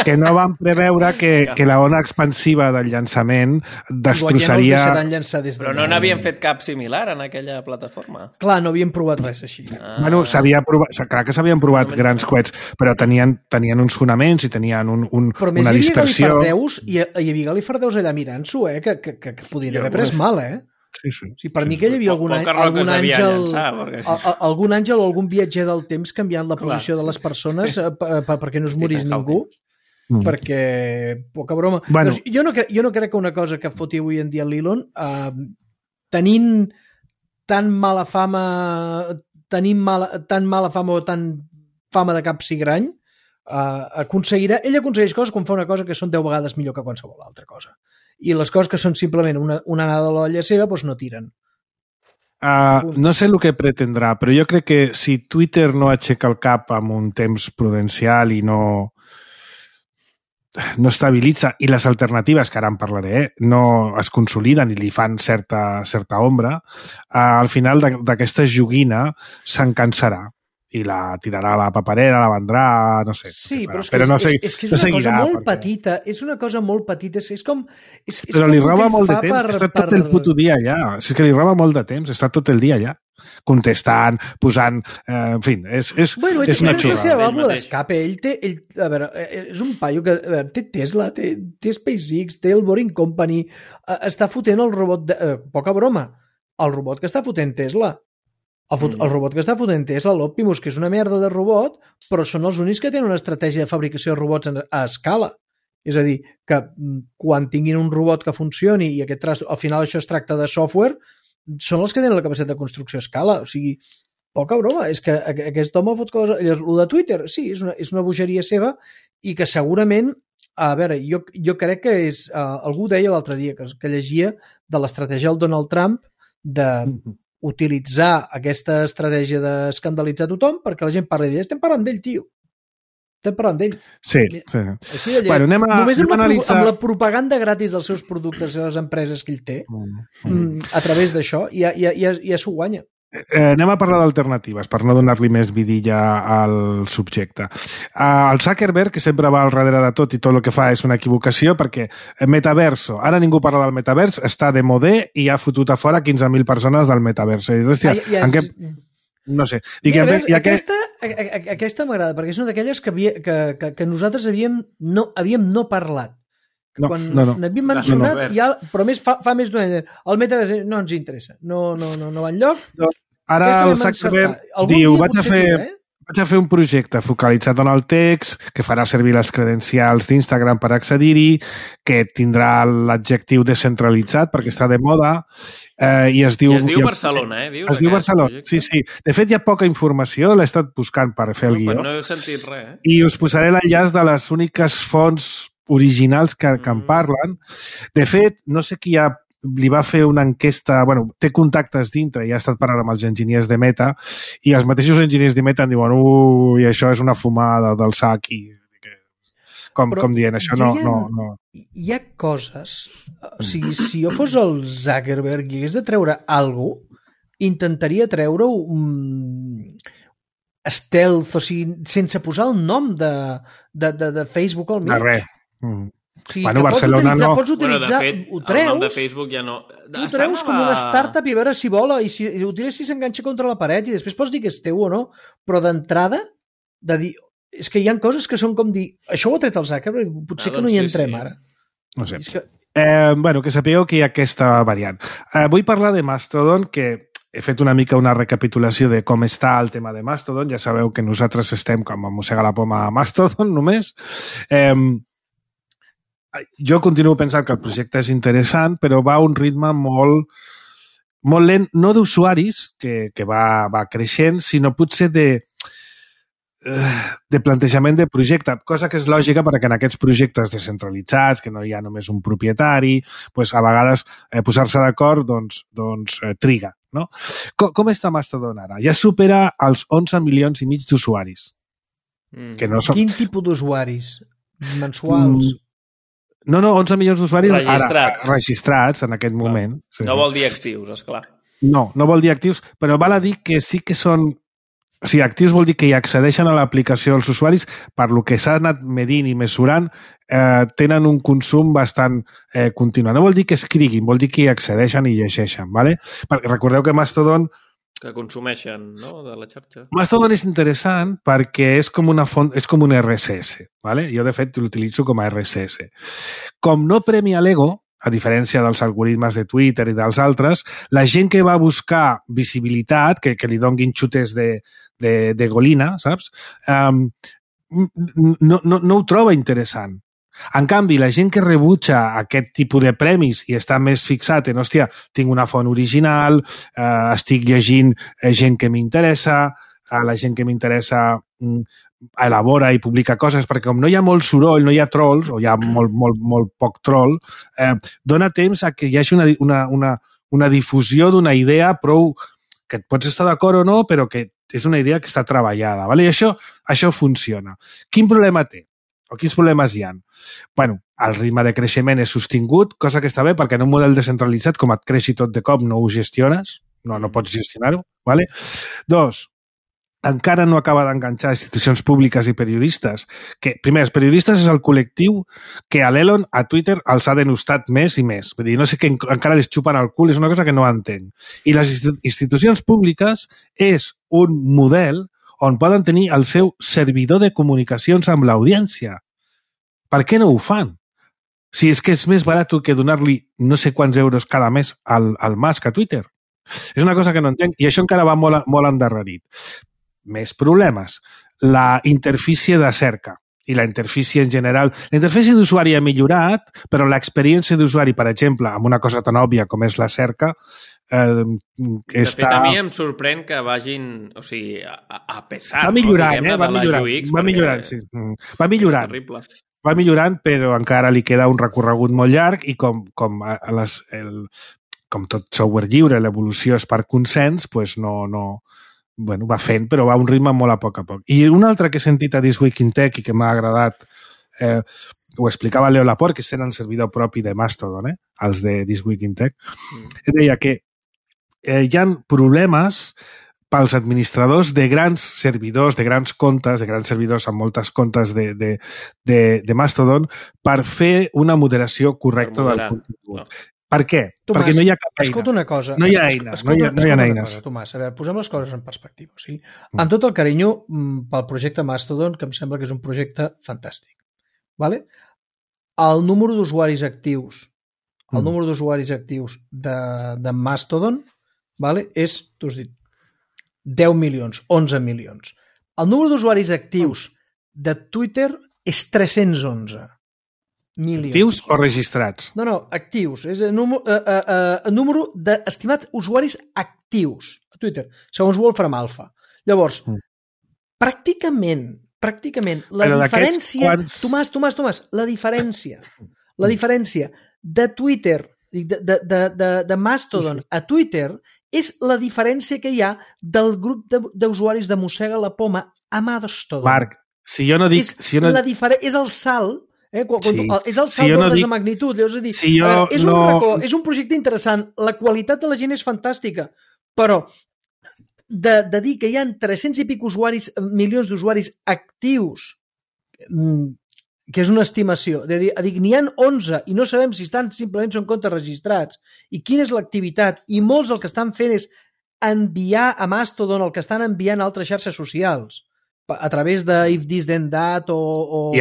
que no van preveure que la ona expansiva del llançament destrossaria... Ja no però no n'havien fet cap similar en aquella plataforma. Clar, no havien provat res així. Bueno, clar que s'havien provat grans coets, però tenien uns fonaments i tenien una dispersió... Però més hi havia galifardeus allà mirant-s'ho, que podien haver pres mal, Sí, per mi que hi havia algun àngel o algun viatger del temps canviant la posició de les persones perquè no es morís ningú. Perquè, poca broma. Bueno. Jo no crec que una cosa que foti avui en dia l'Elon, tenint tan mala fama o tan fama de cap cigrany, ell aconsegueix coses quan fa una cosa que són 10 vegades millor que qualsevol altra cosa. I les coses que són simplement una anada a l'olla seva doncs no tiren. No sé el que pretendrà, però jo crec que si Twitter no aixeca el cap amb un temps prudencial i no estabilitza, i les alternatives, que ara en parlaré, no es consoliden i li fan certa ombra, al final d'aquesta joguina se'n cansarà i la tirarà a la paperera, la vendrà, no sé. Sí, però no és que és una cosa molt petita, és com... Però li roba molt de temps, està tot el puto dia allà. És que li roba molt de temps, està tot el dia allà, contestant, posant... En fi, és una xurrada. És una vàlvula d'escape. A veure, és un paio que té Tesla, té SpaceX, té el Boring Company, està fotent el robot... Poca broma, el robot que està fotent Tesla. El robot que està fotent Tesla, l'Optimus, que és una merda de robot, però són els únics que tenen una estratègia de fabricació de robots a escala. És a dir, que quan tinguin un robot que funcioni i al final això es tracta de software, són els que tenen la capacitat de construcció a escala. O sigui, poca broma. És que aquest home fot coses... El de Twitter, sí, és una bogeria seva i que segurament... A veure, jo crec que és... algú deia l'altre dia que llegia de l'estratègia del Donald Trump de... utilitzar aquesta estratègia d'escandalitzar tothom perquè la gent parli d'ell. Estem parlant d'ell, tio. Estem parlant d'ell. Sí. Així de bueno, només amb la propaganda gratis dels seus productes i les empreses que ell té, a través d'això, ja s'ho guanya. Anem a parlar d'alternatives, per no donar-li més vidilla al subjecte. El Zuckerberg, que sempre va al darrere de tot i tot el que fa és una equivocació, perquè metaverso, ara ningú parla del metavers, està de modé i ha fotut a fora 15.000 persones del metaverso. Hòstia, no sé. Aquesta m'agrada, perquè és una d'aquelles que nosaltres havíem no parlat. Quan n'havíem mencionat, però més fa més d'un any. El metavers no ens interessa, no va enlloc. Ara el Zuckerberg diu, vaig a fer un projecte focalitzat en el text, que farà servir les credencials d'Instagram per accedir-hi, que tindrà l'adjectiu descentralitzat perquè està de moda, i es diu... I es diu Barcelona, Es diu Barcelona, sí. De fet, hi ha poca informació, l'he estat buscant per fer el guió. No he sentit res, I us posaré l'enllaç de les úniques fonts originals que en parlen. De fet, no sé qui li va fer una enquesta, bueno, té contactes dintre i ha estat parlant amb els enginyers de Meta i els mateixos enginyers de Meta diuen i això és una fumada del sac i com dient, això no... Hi ha coses... O sigui, si jo fos el Zuckerberg i hagués de treure alguna cosa, intentaria treure-ho stealth, o sigui, sense posar el nom de Facebook al mig. De res. Sí, bueno, Barcelona no... Pots utilitzar, de fet, ho treus, el nom de Facebook ja no... Ho treus com una startup i a veure si vola i si ho tires si s'enganxa contra la paret i després pots dir que és teu o no, però d'entrada de dir, és que hi ha coses que són com dir, això ho ha tret el Zuckerberg, potser que no hi entrem ara. No sé. Que sapigueu que hi ha aquesta variant. Vull parlar de Mastodon, que he fet una mica una recapitulació de com està el tema de Mastodon. Ja sabeu que nosaltres estem com a mossega la poma a Mastodon només. Jo continuo pensant que el projecte és interessant, però va a un ritme molt lent, no d'usuaris, que va creixent, sinó potser de plantejament de projecte, cosa que és lògica perquè en aquests projectes descentralitzats, que no hi ha només un propietari, pues a vegades posar-se d'acord triga. No? Com està Mastodon ara? Ja supera els 11 milions i mig d'usuaris. Que no són... Quin tipus d'usuaris? Mensuals? No, 11 milions d'usuaris registrats en aquest moment. Sí. No vol dir actius, esclar. No vol dir actius, però val a dir que sí que són... O sigui, actius vol dir que hi accedeixen a l'aplicació els usuaris, per lo que s'ha anat medint i mesurant, tenen un consum bastant continu. No vol dir que escriguin, vol dir que hi accedeixen i llegeixen, ¿vale? Recordeu que Mastodon... Que consumeixen, no?, de la xarxa. Mastodon és interessant perquè és com una font, és com un RSS, ¿vale? Jo, de fet, l'utilitzo com a RSS. Com no premia l'ego, a diferència dels algoritmes de Twitter i dels altres, la gent que va buscar visibilitat, que li donguin xutes de golina, saps? No ho troba interessant. En canvi, la gent que rebutja aquest tipus de premis i està més fixat en, hòstia, tinc una font original, estic llegint gent que m'interessa, la gent que m'interessa elabora i publica coses, perquè com no hi ha molt soroll, no hi ha trolls, o hi ha molt poc troll, dona temps a que hi hagi una difusió d'una idea prou que et pots estar d'acord o no, però que és una idea que està treballada. ¿Vale? I això funciona. Quin problema té? O quins problemes hi ha? Bueno, el ritme de creixement és sostingut, cosa que està bé perquè en un model descentralitzat, com et creixi tot de cop, no ho gestiones, no pots gestionar-ho. ¿Vale? 2, encara no acaba d'enganxar institucions públiques i periodistes. Que, primer, els periodistes és el col·lectiu que a l'Elon, a Twitter, els ha denostat més i més. Vull dir, no sé què encara les xupen al cul, és una cosa que no entenc. I les institucions públiques és un model on poden tenir el seu servidor de comunicacions amb l'audiència. Per què no ho fan? Si és que és més barat que donar-li no sé quants euros cada mes al Musk a Twitter. És una cosa que no entenc i això encara va molt endarrerit. Més problemes. La interfície de cerca i la interfície en general. La interfície d'usuari ha millorat, però l'experiència d'usuari, per exemple, amb una cosa tan òbvia com és la cerca, de fet, a mi em sorprèn que vagin, o sigui, a pesar... Va millorant, va millorant, sí. Va millorant. Va millorant, però encara li queda un recorregut molt llarg i com tot software lliure, l'evolució és per consens, doncs bueno, va fent, però va a un ritme molt a poc. I un altre que he sentit a This Week in Tech i que m'ha agradat, ho explicava Leo Laporte, que tenen servidor propi de Mastodon, els de This Week in Tech, deia que hi ha problemes pels administradors de grans servidors, de grans comptes, de grans servidors amb moltes comptes de Mastodon per fer una moderació correcta del contingut. No. Per què? Tomàs, perquè no hi ha cap eina. Escolta una cosa. No hi ha eines. No hi ha eines. Cosa, Tomàs, a veure, posem les coses en perspectiva. O sigui, amb tot el carinyo pel projecte Mastodon, que em sembla que és un projecte fantàstic. ¿Vale? El número d'usuaris actius de Mastodon, ¿vale? És, tu has dit, 10 milions, 11 milions. El número d'usuaris actius de Twitter és 311. milions. Actius o registrats? No, actius. És el número d'estimats usuaris actius a Twitter, segons Wolfram Alpha. Llavors, pràcticament, la diferència... Tomàs, la diferència de Twitter, de Mastodon a Twitter és la diferència que hi ha del grup d'usuaris de Mossega la Poma a Mastodon. Marc, si jo no dic... És el salt... és el salt d'ordres de magnitud. És a dir, és un projecte interessant, la qualitat de la gent és fantàstica, però de dir que hi ha 300 i pic milions d'usuaris actius, que és una estimació, de dir n'hi ha 11 i no sabem si simplement són comptes registrats i quina és l'activitat, i molts el que estan fent és enviar a Mastodon el que estan enviant a altres xarxes socials a través de If This Then That o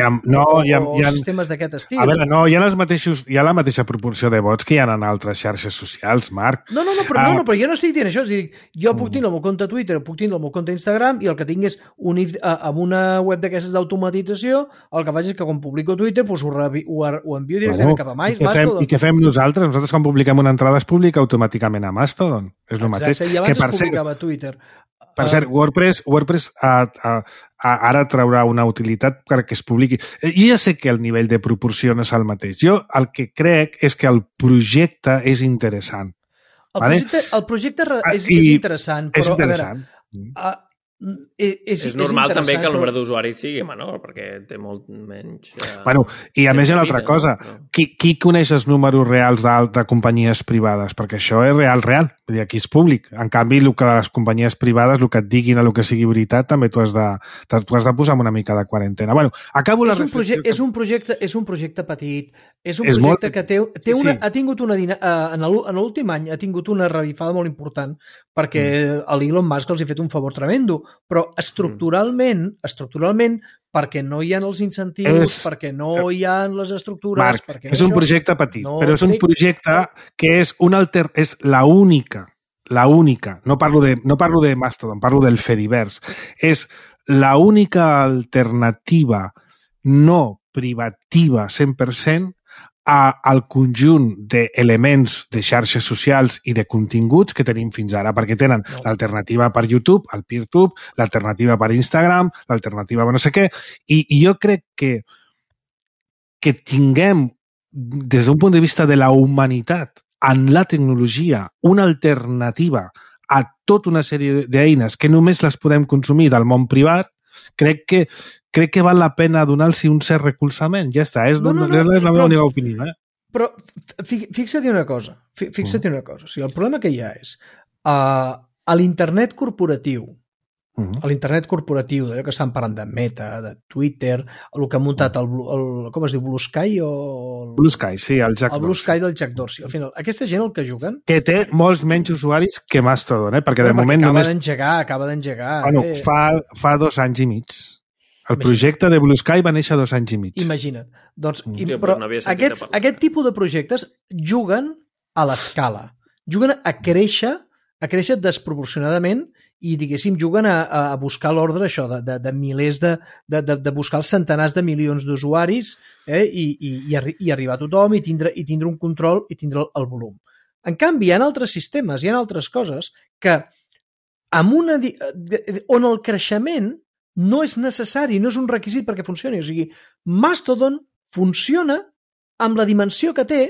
sistemes d'aquest estil. A veure, no, hi ha la mateixa proporció de vots que hi ha en altres xarxes socials, Marc. Però jo no estic dient això. És a dir, jo puc tenir el meu compte Twitter, puc tenir el meu compte Instagram i el que tinc és amb una web d'aquestes d'automatització, el que faig és que quan publico Twitter ho envio directament cap a Mastodon. I què fem nosaltres? Nosaltres quan publiquem una entrada es publica automàticament a Mastodon. És el mateix. Exacte, i abans es publicava a Twitter. Per cert, WordPress ara traurà una utilitat perquè es publiqui. Jo ja sé que el nivell de proporció no és el mateix. Jo el que crec és que el projecte és interessant. El projecte és interessant, però a veure... És normal també que el número d'usuaris sigui menor, perquè té molt menys... I a més hi ha una altra cosa. Qui coneix els números reals de companyies privades? Perquè això és real. Vull dir, aquí és públic. En canvi, el que les companyies privades, el que et diguin el que sigui veritat, també tu has de posar una mica de quarantena. Acabo la reflexió. És un projecte petit, és un projecte que ha tingut en l'últim any ha tingut una revifada molt important perquè l'Elon Musk els ha fet un favor tremendo, però estructuralment, perquè no hi ha els incentius, perquè no hi ha les estructures... Marc, és un projecte petit, però és un projecte que és l'única, no parlo de Mastodon, parlo del Fediverse, és l'única alternativa no privativa 100% al conjunt d'elements de xarxes socials i de continguts que tenim fins ara, perquè tenen l'alternativa per YouTube, el PeerTube, l'alternativa per Instagram, l'alternativa per no sé què, i jo crec que tinguem, des d'un punt de vista de la humanitat, en la tecnologia, una alternativa a tota una sèrie d'eines que només les podem consumir del món privat, crec que val la pena donar-los un cert recolzament. Ja està, és la meva única opinió. Però fixa't una cosa. O sigui, el problema que hi ha és a l'internet corporatiu, d'allò que estan parlant de Meta, de Twitter, el que ha muntat com es diu, Blue Sky o... Blue Sky, sí, el Jack Dorsey. El Blue Sky del Jack Dorsey. Al final, aquesta gent el que juguen... Que té molts menys usuaris que Mastodon, perquè de moment només... Acaba d'engegar. Fa 2 anys i mig. El projecte de Blue Sky va néixer 2 anys i mig. Imagina't. Doncs, però aquest tipus de projectes juguen a l'escala. Juguen a créixer desproporcionadament i, diguéssim, juguen a buscar l'ordre això de milers de buscar els centenars de milions d'usuaris i arribar a tothom i tindre un control i tindre el volum. En canvi, hi ha altres sistemes, hi ha altres coses que on el creixement no és necessari, no és un requisit perquè funcioni. O sigui, Mastodon funciona amb la dimensió que té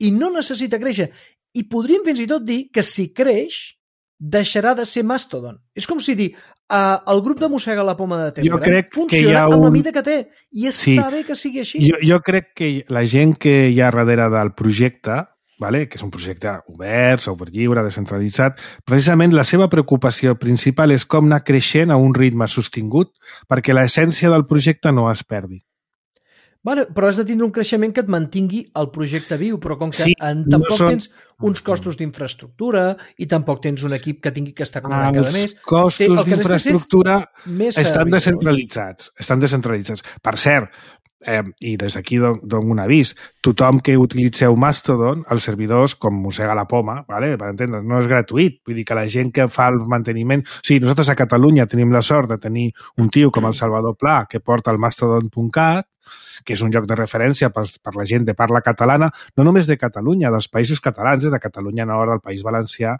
i no necessita créixer. I podríem fins i tot dir que si creix, deixarà de ser Mastodon. És com si dir, el grup de Mossega la poma de Telegram funciona amb la mida que té i està bé que sigui així. Jo crec que la gent que hi ha darrere del projecte, que és un projecte obert, software lliure, descentralitzat, precisament la seva preocupació principal és com anar creixent a un ritme sostingut perquè l'essència del projecte no es perdi. Però has de tindre un creixement que et mantingui el projecte viu, però com que tampoc tens uns costos d'infraestructura i tampoc tens un equip que tingui que estar connectat cada mes. Els costos d'infraestructura estan descentralitzats. Per cert, i des d'aquí dono un avís, tothom que utilitzeu Mastodon, els servidors, com Mossega la poma, per entendre's, no és gratuït. Vull dir que la gent que fa el manteniment... Sí, nosaltres a Catalunya tenim la sort de tenir un tio com el Salvador Pla que porta el mastodon.cat, que és un lloc de referència per la gent de parla catalana, no només de Catalunya, dels països catalans, de Catalunya Nord, del País Valencià,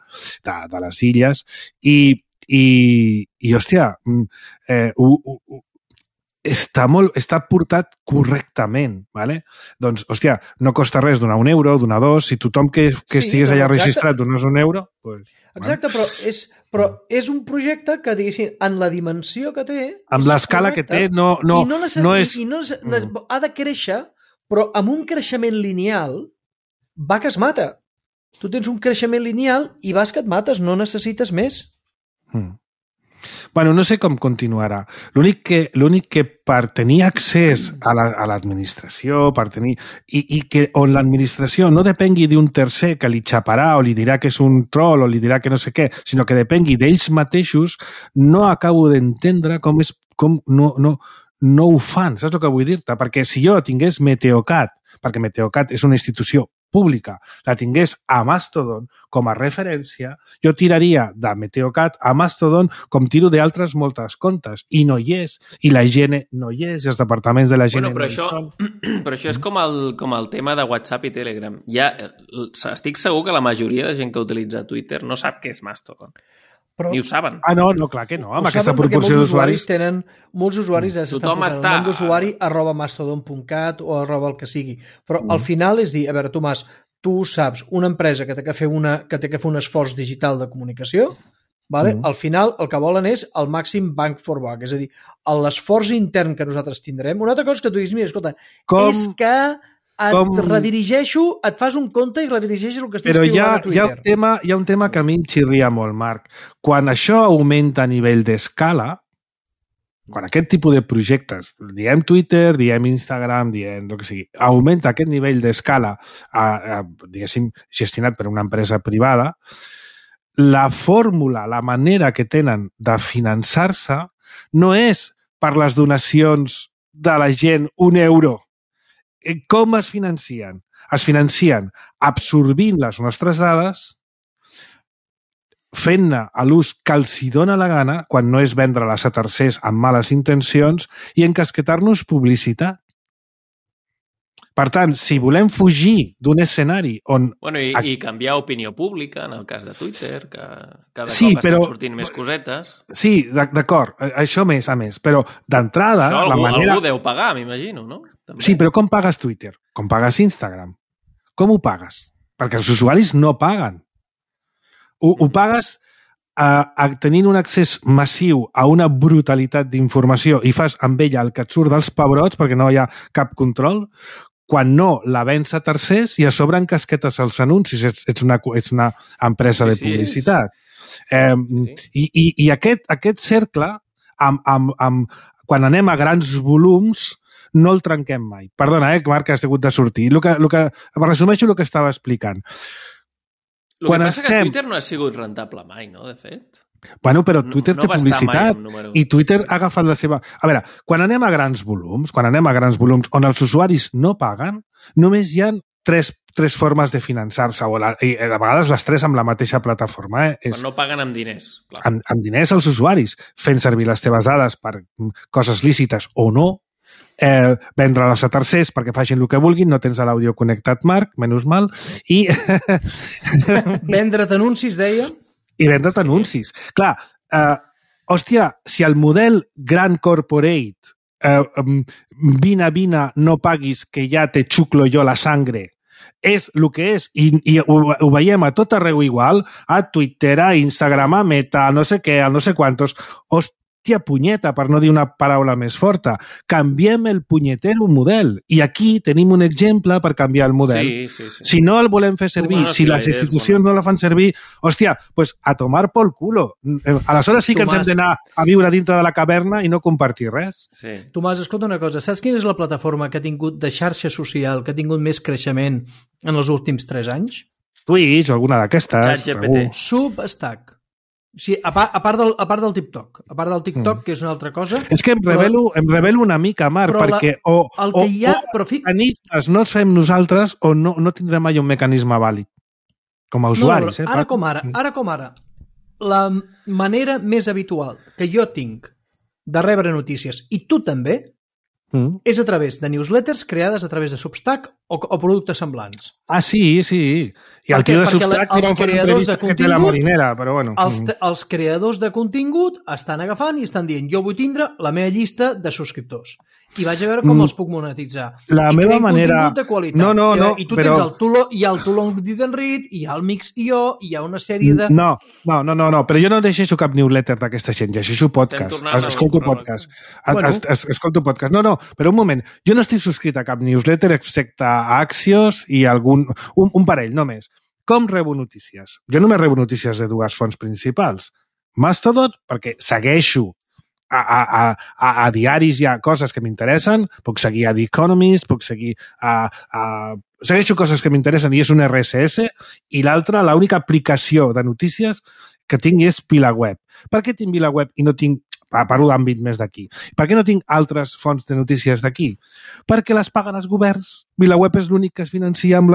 de les Illes, i hòstia, està portat correctament, doncs, hòstia, no costa res donar €1, donar 2, si tothom que estigués allà registrat donés €1... Exacte, però és un projecte que, diguéssim, en la dimensió que té... Amb l'escala que té, no és... Ha de créixer, però amb un creixement lineal va que es mata. Tu tens un creixement lineal i vas que et mates, no necessites més. Bueno, no sé com continuarà. L'únic que per tenir accés a l'administració, per tenir... I que on l'administració no depengui d'un tercer que li xaparà o li dirà que és un troll o li dirà que no sé què, sinó que depengui d'ells mateixos, no acabo d'entendre com no ho fan. Saps el que vull dir-te? Perquè si jo tingués Meteocat, perquè Meteocat és una institució pública, la tingués a Mastodon com a referència, jo tiraria de Meteocat a Mastodon com tiro d'altres moltes comptes, i no hi és, i la higiene no hi és, i els departaments de la higiene no hi són. Però això és com el tema de WhatsApp i Telegram. Estic segur que la majoria de gent que utilitza Twitter no sap què és Mastodon. Ni ho saben. No, clar que no, amb aquesta proporció d'usuaris. Molts usuaris s'estan posant el nom d'usuari @mastodon.cat o el que sigui. Però al final és dir, a veure, Tomàs, tu saps, una empresa que té que fer un esforç digital de comunicació, vale? Al final el que volen és el màxim bang for buck, és a dir, l'esforç intern que nosaltres tindrem. Una altra cosa que tu diguis, mira, escolta, és que redirigeixo, et fas un compte i redirigeixes el que estàs piulant a Twitter. Però hi ha un tema que a mi em xirria molt, Marc. Quan això augmenta a nivell d'escala, quan aquest tipus de projectes, diem Twitter, diem Instagram, diem el que sigui, augmenta aquest nivell d'escala, diguéssim, gestionat per una empresa privada, la fórmula, la manera que tenen de finançar-se no és per les donacions de la gent €1. Com es financien? Es financien absorbint les nostres dades, fent-ne a l'ús que els hi dóna la gana, quan no és vendre-les a tercers amb males intencions, i encasquetar-nos publicitat. Per tant, si volem fugir d'un escenari on... Bueno, i canviar opinió pública, en el cas de Twitter, que cada cop estan sortint més cosetes. Sí, d'acord, això més a més, però d'entrada... Això algú deu pagar, m'imagino, no? També. Sí, però com pagues Twitter? Com pagues Instagram? Com ho pagues? Perquè els usuaris no paguen. Ho pagues tenint un accés massiu a una brutalitat d'informació i fas amb ella el que et surt dels pebrots perquè no hi ha cap control, quan no la vens a tercers i a sobre encasquetes els anuncis. Ets una empresa de publicitat. I aquest cercle, quan anem a grans volums, no el trenquem mai. Perdona, Marc, has hagut de sortir. Resumeixo el que estava explicant. El que passa que Twitter no ha sigut rentable mai, no, de fet? Bueno, però Twitter té publicitat i Twitter ha agafat la seva... A veure, quan anem a grans volums on els usuaris no paguen, només hi ha tres formes de finançar-se, i a vegades les tres amb la mateixa plataforma. Quan no paguen amb diners. Amb diners als usuaris, fent servir les teves dades per coses lícites o no, vendre-les a tercers perquè facin el que vulguin, no tens l'àudio connectat, Marc, menys mal, i... Vendre't anuncis, deia? I vendre't anuncis. Clar, hòstia, si el model Grand Corporate, vine, no paguis, que ja te xuclo jo la sangre, és el que és, i ho veiem a tot arreu igual, a Twitter, a Instagram, a Meta, a no sé què, a no sé quantos, hòstia punyeta, per no dir una paraula més forta. Canviem el punyetero model. I aquí tenim un exemple per canviar el model. Sí. Si no el volem fer servir, si les institucions no la fan servir, hòstia, pues a tomar por culo. Aleshores sí que ens hem d'anar a viure dintre de la caverna i no compartir res. Sí. Tomàs, escolta una cosa. Saps quina és la plataforma que ha tingut de xarxa social, que ha tingut més creixement en els últims 3 anys? Twitch o alguna d'aquestes. ChatGPT. Substack. Sí, a part del TikTok. A part del TikTok, que és una altra cosa. És que em revelo una mica, Marc, perquè o mecanismes no els fem nosaltres o no tindrem mai un mecanisme vàlid. Com a usuaris. Ara com ara, la manera més habitual que jo tinc de rebre notícies, i tu també, és a través de newsletters creades a través de Substack o productes semblants. Ah, sí. I el tio de Substack li van fer una entrevista que té la marinera, però bueno. Els creadors de contingut estan agafant i estan dient, jo vull tindre la meva llista de subscriptors. I vaig a veure com els puc monetitzar. La meva manera... de qualitat. No, i tu tens el Too Did and Read, hi ha el Mix.io, hi ha una sèrie de... No, però jo no llegeixo cap newsletter d'aquesta gent, llegeixo podcast. Escolto podcast. Escolto podcast. No, però un moment. Jo no estic subscrit a cap newsletter excepte a Axios i un parell, només. Com rebo notícies? Jo només rebo notícies de 2 fonts principals. Mastodon, perquè segueixo a diaris hi ha coses que m'interessen, puc seguir a The Economist, puc seguir segueixo coses que m'interessen i és un RSS, i l'altra, l'única aplicació de notícies que tinc és VilaWeb. Per què tinc VilaWeb i no tinc, parlo d'àmbit més d'aquí, per què no tinc altres fonts de notícies d'aquí? Perquè les paguen els governs. VilaWeb és l'únic que es financia amb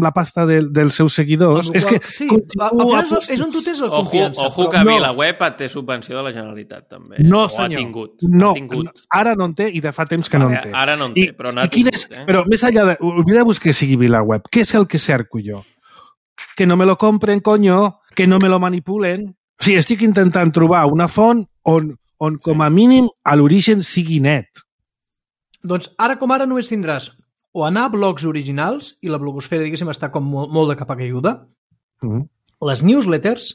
la pasta dels seus seguidors. És que sí, és on tu tens la confiança. Ojo que VilaWeb té subvenció de la Generalitat, també. No, senyor. No, ara no en té i de fa temps que no en té. Ara no en té, però n'ha tingut. Però més enllà de... Oblideu-vos que sigui VilaWeb. Què és el que cerco jo? Que no me lo compren, coño, que no me lo manipulen. O sigui, estic intentant trobar una font on com a mínim a l'origen sigui net. Doncs ara com ara només tindràs o anar a blogs originals, i la blogosfera, diguéssim, està com molt de capa caiguda, les newsletters,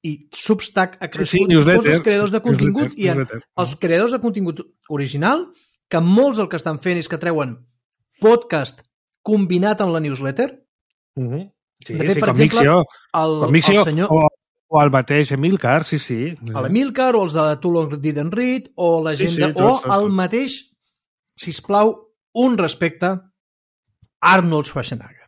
i Substack ha crescut, tots els creadors de contingut, i els creadors de contingut original, que molts el que estan fent és que treuen podcast combinat amb la newsletter. Sí, de fet, per exemple, el senyor... O el mateix Emilcar, sí. L'Emilcar, o els de Too Long Didn't Read, o la gent o el mateix, sisplau, un respecte, Arnold Schwarzenegger.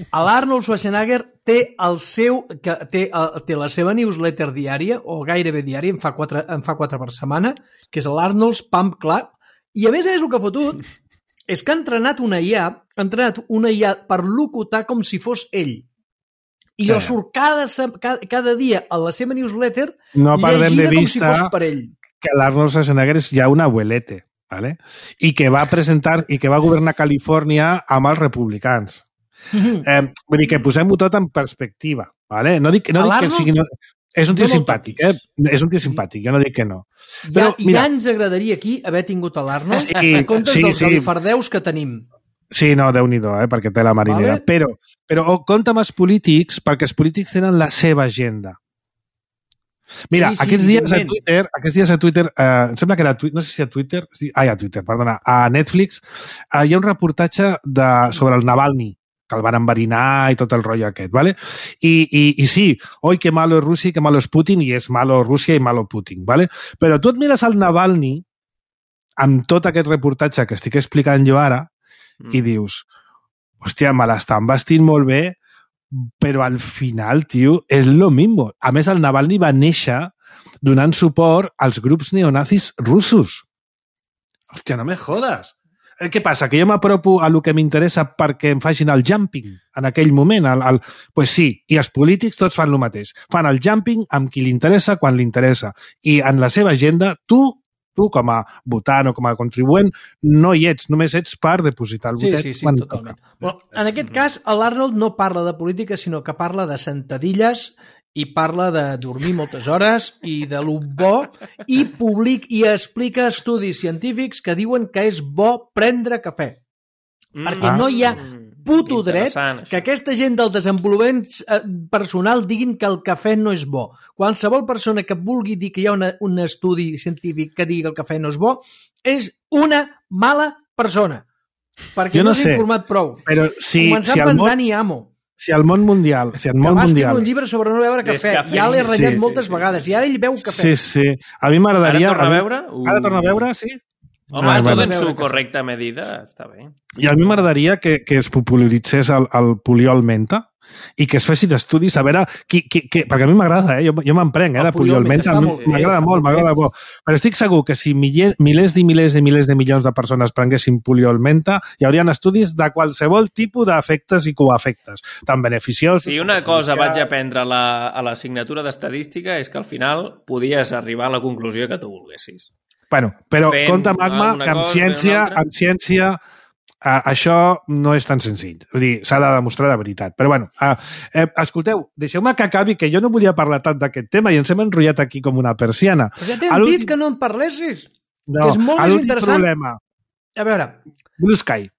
L'Arnold Schwarzenegger té la seva newsletter diària, o gairebé diària, en fa 4 per setmana, que és l'Arnold's Pump Club, i a més el que ha fotut és que ha entrenat una IA per locutar com si fos ell. I jo surt cada dia a la seva newsletter llegida com si fos per ell. Que l'Arnold Schwarzenegger és ja un abuelete, ¿vale? I que va presentar i que va governar Califòrnia amb els republicans. Vull dir que posem-ho tot en perspectiva, ¿vale? No dic que sigui... És un tio simpàtic, És un tio simpàtic, jo no dic que no. Però, ja ens agradaria aquí haver tingut a l'Arnold en comptes dels galifardeus que tenim. Sí, no, Déu-n'hi-do, perquè té la marinera. Vale. Però compta amb els polítics, perquè els polítics tenen la seva agenda. Mira, aquests dies a Twitter, em sembla que era Twitter, no sé si a Twitter, a Twitter, perdona, a Netflix, hi ha un reportatge sobre el Navalny, que el van enverinar i tot el rotllo aquest, ¿vale? I sí, oi, que malo es Rússia i que malo es Putin, i és malo Rússia i malo Putin, ¿vale? Però tu et mires al Navalny, amb tot aquest reportatge que estic explicant jo ara, i dius, hòstia, me l'estan vestint molt bé, però al final, tio, és lo mismo. A més, el Navalny va néixer donant suport als grups neonazis russos. Hòstia, no me jodes. Què passa? Que jo m'apropo a lo que m'interessa perquè em facin el jumping en aquell moment? Pues sí, i els polítics tots fan el mateix. Fan el jumping amb qui li interessa quan li interessa. I en la seva agenda, tu com a votant o com a contribuent, no hi ets, només ets per depositar el votet. Sí, totalment. Bueno, en aquest cas, l'Arnold no parla de política, sinó que parla de sentadilles i parla de dormir moltes hores i de lo bo, i explica estudis científics que diuen que és bo prendre cafè. Perquè no hi ha puto dret que aquesta gent del desenvolupament personal diguin que el cafè no és bo. Qualsevol persona que vulgui dir que hi ha un estudi científic que digui que el cafè no és bo és una mala persona. Perquè no s'ha informat prou. Però començant per Dani Amo. Si al món mundial... Que va escriure un llibre sobre no beure cafè. Ja l'he ratllat moltes vegades. I ara ell beu cafè. Sí. A mi m'agradaria... Ara torna a veure? Ara torna a veure, sí. Home, tot en su correcta medida, està bé. I a mi m'agradaria que es popularitzés el poliol menta i que es fessin estudis a veure... perquè a mi m'agrada, jo m'emprenc de poliol menta, m'agrada molt. Però estic segur que si milers i milers i milers de milions de persones prenguessin poliol menta, hi haurien estudis de qualsevol tipus d'efectes i coefectes, tan beneficiosos... Si una cosa vaig aprendre a l'assignatura d'estadística és que al final podies arribar a la conclusió que tu volguessis. Bueno, però compte, Magma, que amb ciència això no és tan senzill. Vull dir, s'ha de demostrar de veritat. Però bueno, escolteu, deixeu-me que acabi, que jo no volia parlar tant d'aquest tema i ens hem enrotllat aquí com una persiana. Però ja t'hem dit que no en parlessis. No, que és molt més interessant. Problema. A veure. Blue Sky.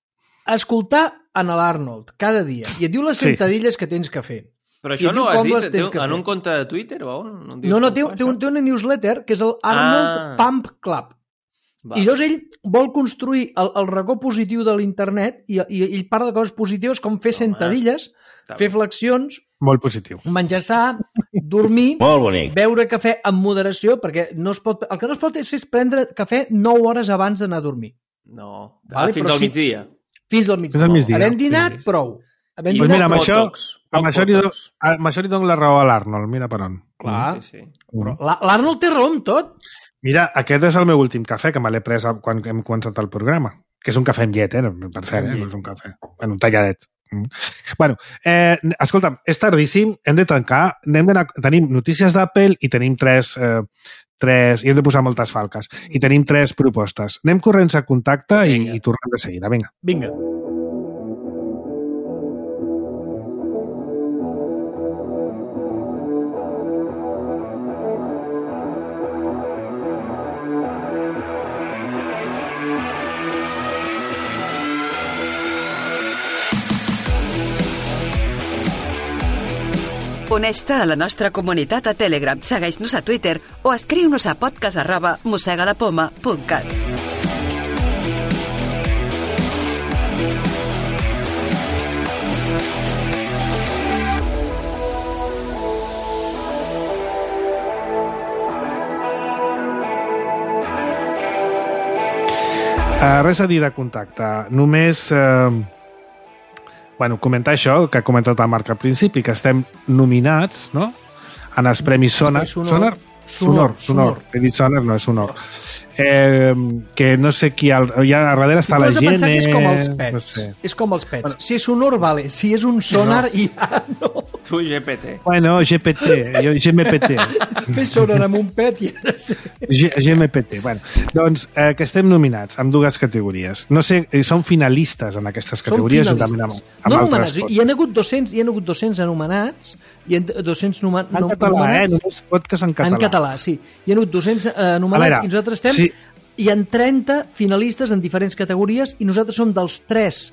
Escoltar en l'Arnold cada dia i et diu les sentadilles que tens que fer. Però això no ho has dit en un compte de Twitter o on? No, té una newsletter que és el Arnold Pump Club. I llavors ell vol construir el racó positiu de l'internet i ell parla de coses positives com fer sentadilles, fer flexions... Molt positiu. Menjar sa, dormir, beure cafè amb moderació, perquè el que no es pot és prendre cafè 9 hores abans d'anar a dormir. No, fins al migdia. Fins al migdia. Havent dinat, prou. Pues mira, amb això li dono la raó a l'Arnold, mira per on. Clar. L'Arnold té raó amb tot. Mira, aquest és el meu últim cafè que me l'he pres quan hem començat el programa, que és un cafè amb llet, per cert, no és un cafè, un talladet. Bueno, escolta'm, és tardíssim, hem de tancar, tenim notícies d'Apple i tenim i hem de posar moltes falques, i tenim 3 propostes. Anem corrents a contacte i tornem de seguida, vinga. Vinga. Uneix-te a la nostra comunitat a Telegram, segueix-nos a Twitter o escriu-nos a podcast@mossegalapoma.cat. Res a dir de contacte. Només comentar això que ha comentat el Marc al principi, que estem nominats, no?, en els Premis Sonor. Sonor. He dit Sonor, no és Sonor. Que no sé qui... Allà darrere està la gent... Tu has de pensar que és com els pets. No sé. És com els pets. Bueno, si és Sonor, vale. Si és un sonar, ja no. Tu, GPT. Bueno, GPT. Jo, GMPT. Fer sonar amb un pet i ha de ser... GMPT. Bueno, doncs, que estem nominats en dues categories. No sé, són finalistes en aquestes categories. Són finalistes. No anomenats. Hi ha hagut 200 anomenats i 200 nomenats... En català, només podcast en català. En català, sí. Hi ha hagut 200 anomenats i nosaltres estem... Sí. Hi ha 30 finalistes en diferents categories i nosaltres som dels 3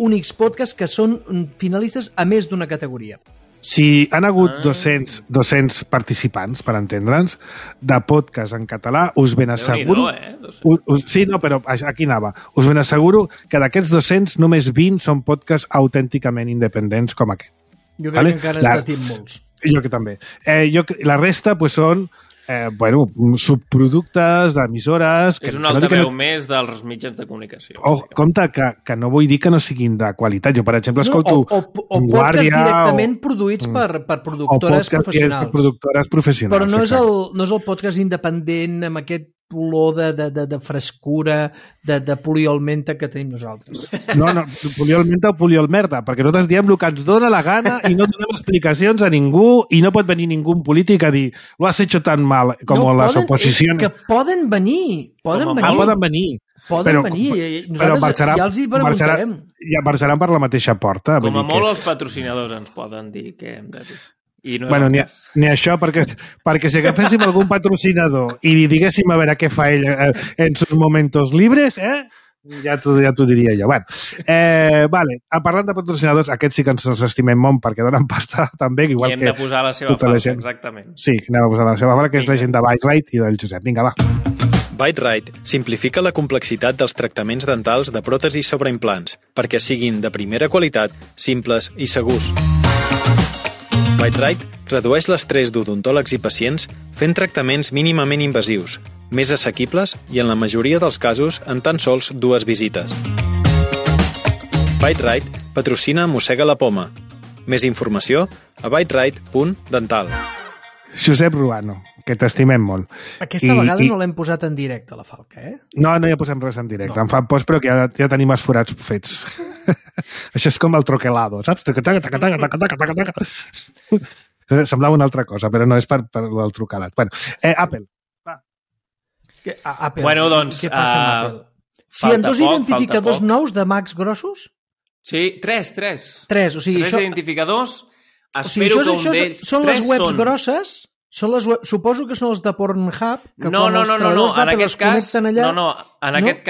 únics podcasts que són finalistes a més d'una categoria. Si han hagut 200 participants, per entendre'ns, de podcast en català, us ben asseguro... Sí, no, però aquí anava. Us ben asseguro que d'aquests 200 només 20 són podcasts autènticament independents com aquest. Jo crec que encara estàs dient molts. Jo que també. La resta són subproductes d'emissores... És un altaveu més dels mitjans de comunicació. Compte, que no vull dir que no siguin de qualitat. Jo, per exemple, escolto... O podcasts directament produïts per productores professionals. Però no és el podcast independent amb aquest olor de frescura, de poliolmenta que tenim nosaltres. No, poliolmenta o poliolmerda, perquè nosaltres diem el que ens dóna la gana i no donem explicacions a ningú i no pot venir ningú polític a dir lo has hecho tan mal com les oposicions. Que poden venir. Poden venir. Nosaltres ja els hi preguntarem. Ja marxaran per la mateixa porta. Com a molt els patrocinadors ens poden dir què hem de dir. No ni això, perquè si agaféssim algun patrocinador i li diguéssim a veure què fa ell en sus momentos libres, ja t'ho diria jo. Parlant de patrocinadors, aquests sí que ens els estimem molt perquè donen pasta també. I hem de posar la seva falca, exactament. Sí, anem a posar la seva falca, que és la gent de Byte-Rite i del Josep. Vinga, va. Byte-Rite simplifica la complexitat dels tractaments dentals de pròtesis sobre implants perquè siguin de primera qualitat, simples i segurs. Byte-Rite redueix l'estrès d'odontòlegs i pacients fent tractaments mínimament invasius, més assequibles i, en la majoria dels casos, en tan sols 2 visites. Byte-Rite patrocina Mossega la Poma. Més informació a byterite.dental. Josep Ruano, que t'estimem molt. Aquesta vegada no l'hem posat en directe, la falca, No hi posem res en directe. Em fa post, però que ja tenim els forats fets. Això és com el troquelado, saps? Semblava una altra cosa, però no és per el trucalat. Apple. Apple. Doncs... Què passa amb Apple? Si hi ha 2 identificadors nous de Macs grossos? Sí, 3. 3, o sigui... 3 identificadors. Espero que un d'ells... Són les webs grosses... Suposo que són els de Pornhub, que no, quan els treballadors d'Apple es connecten allà... En aquest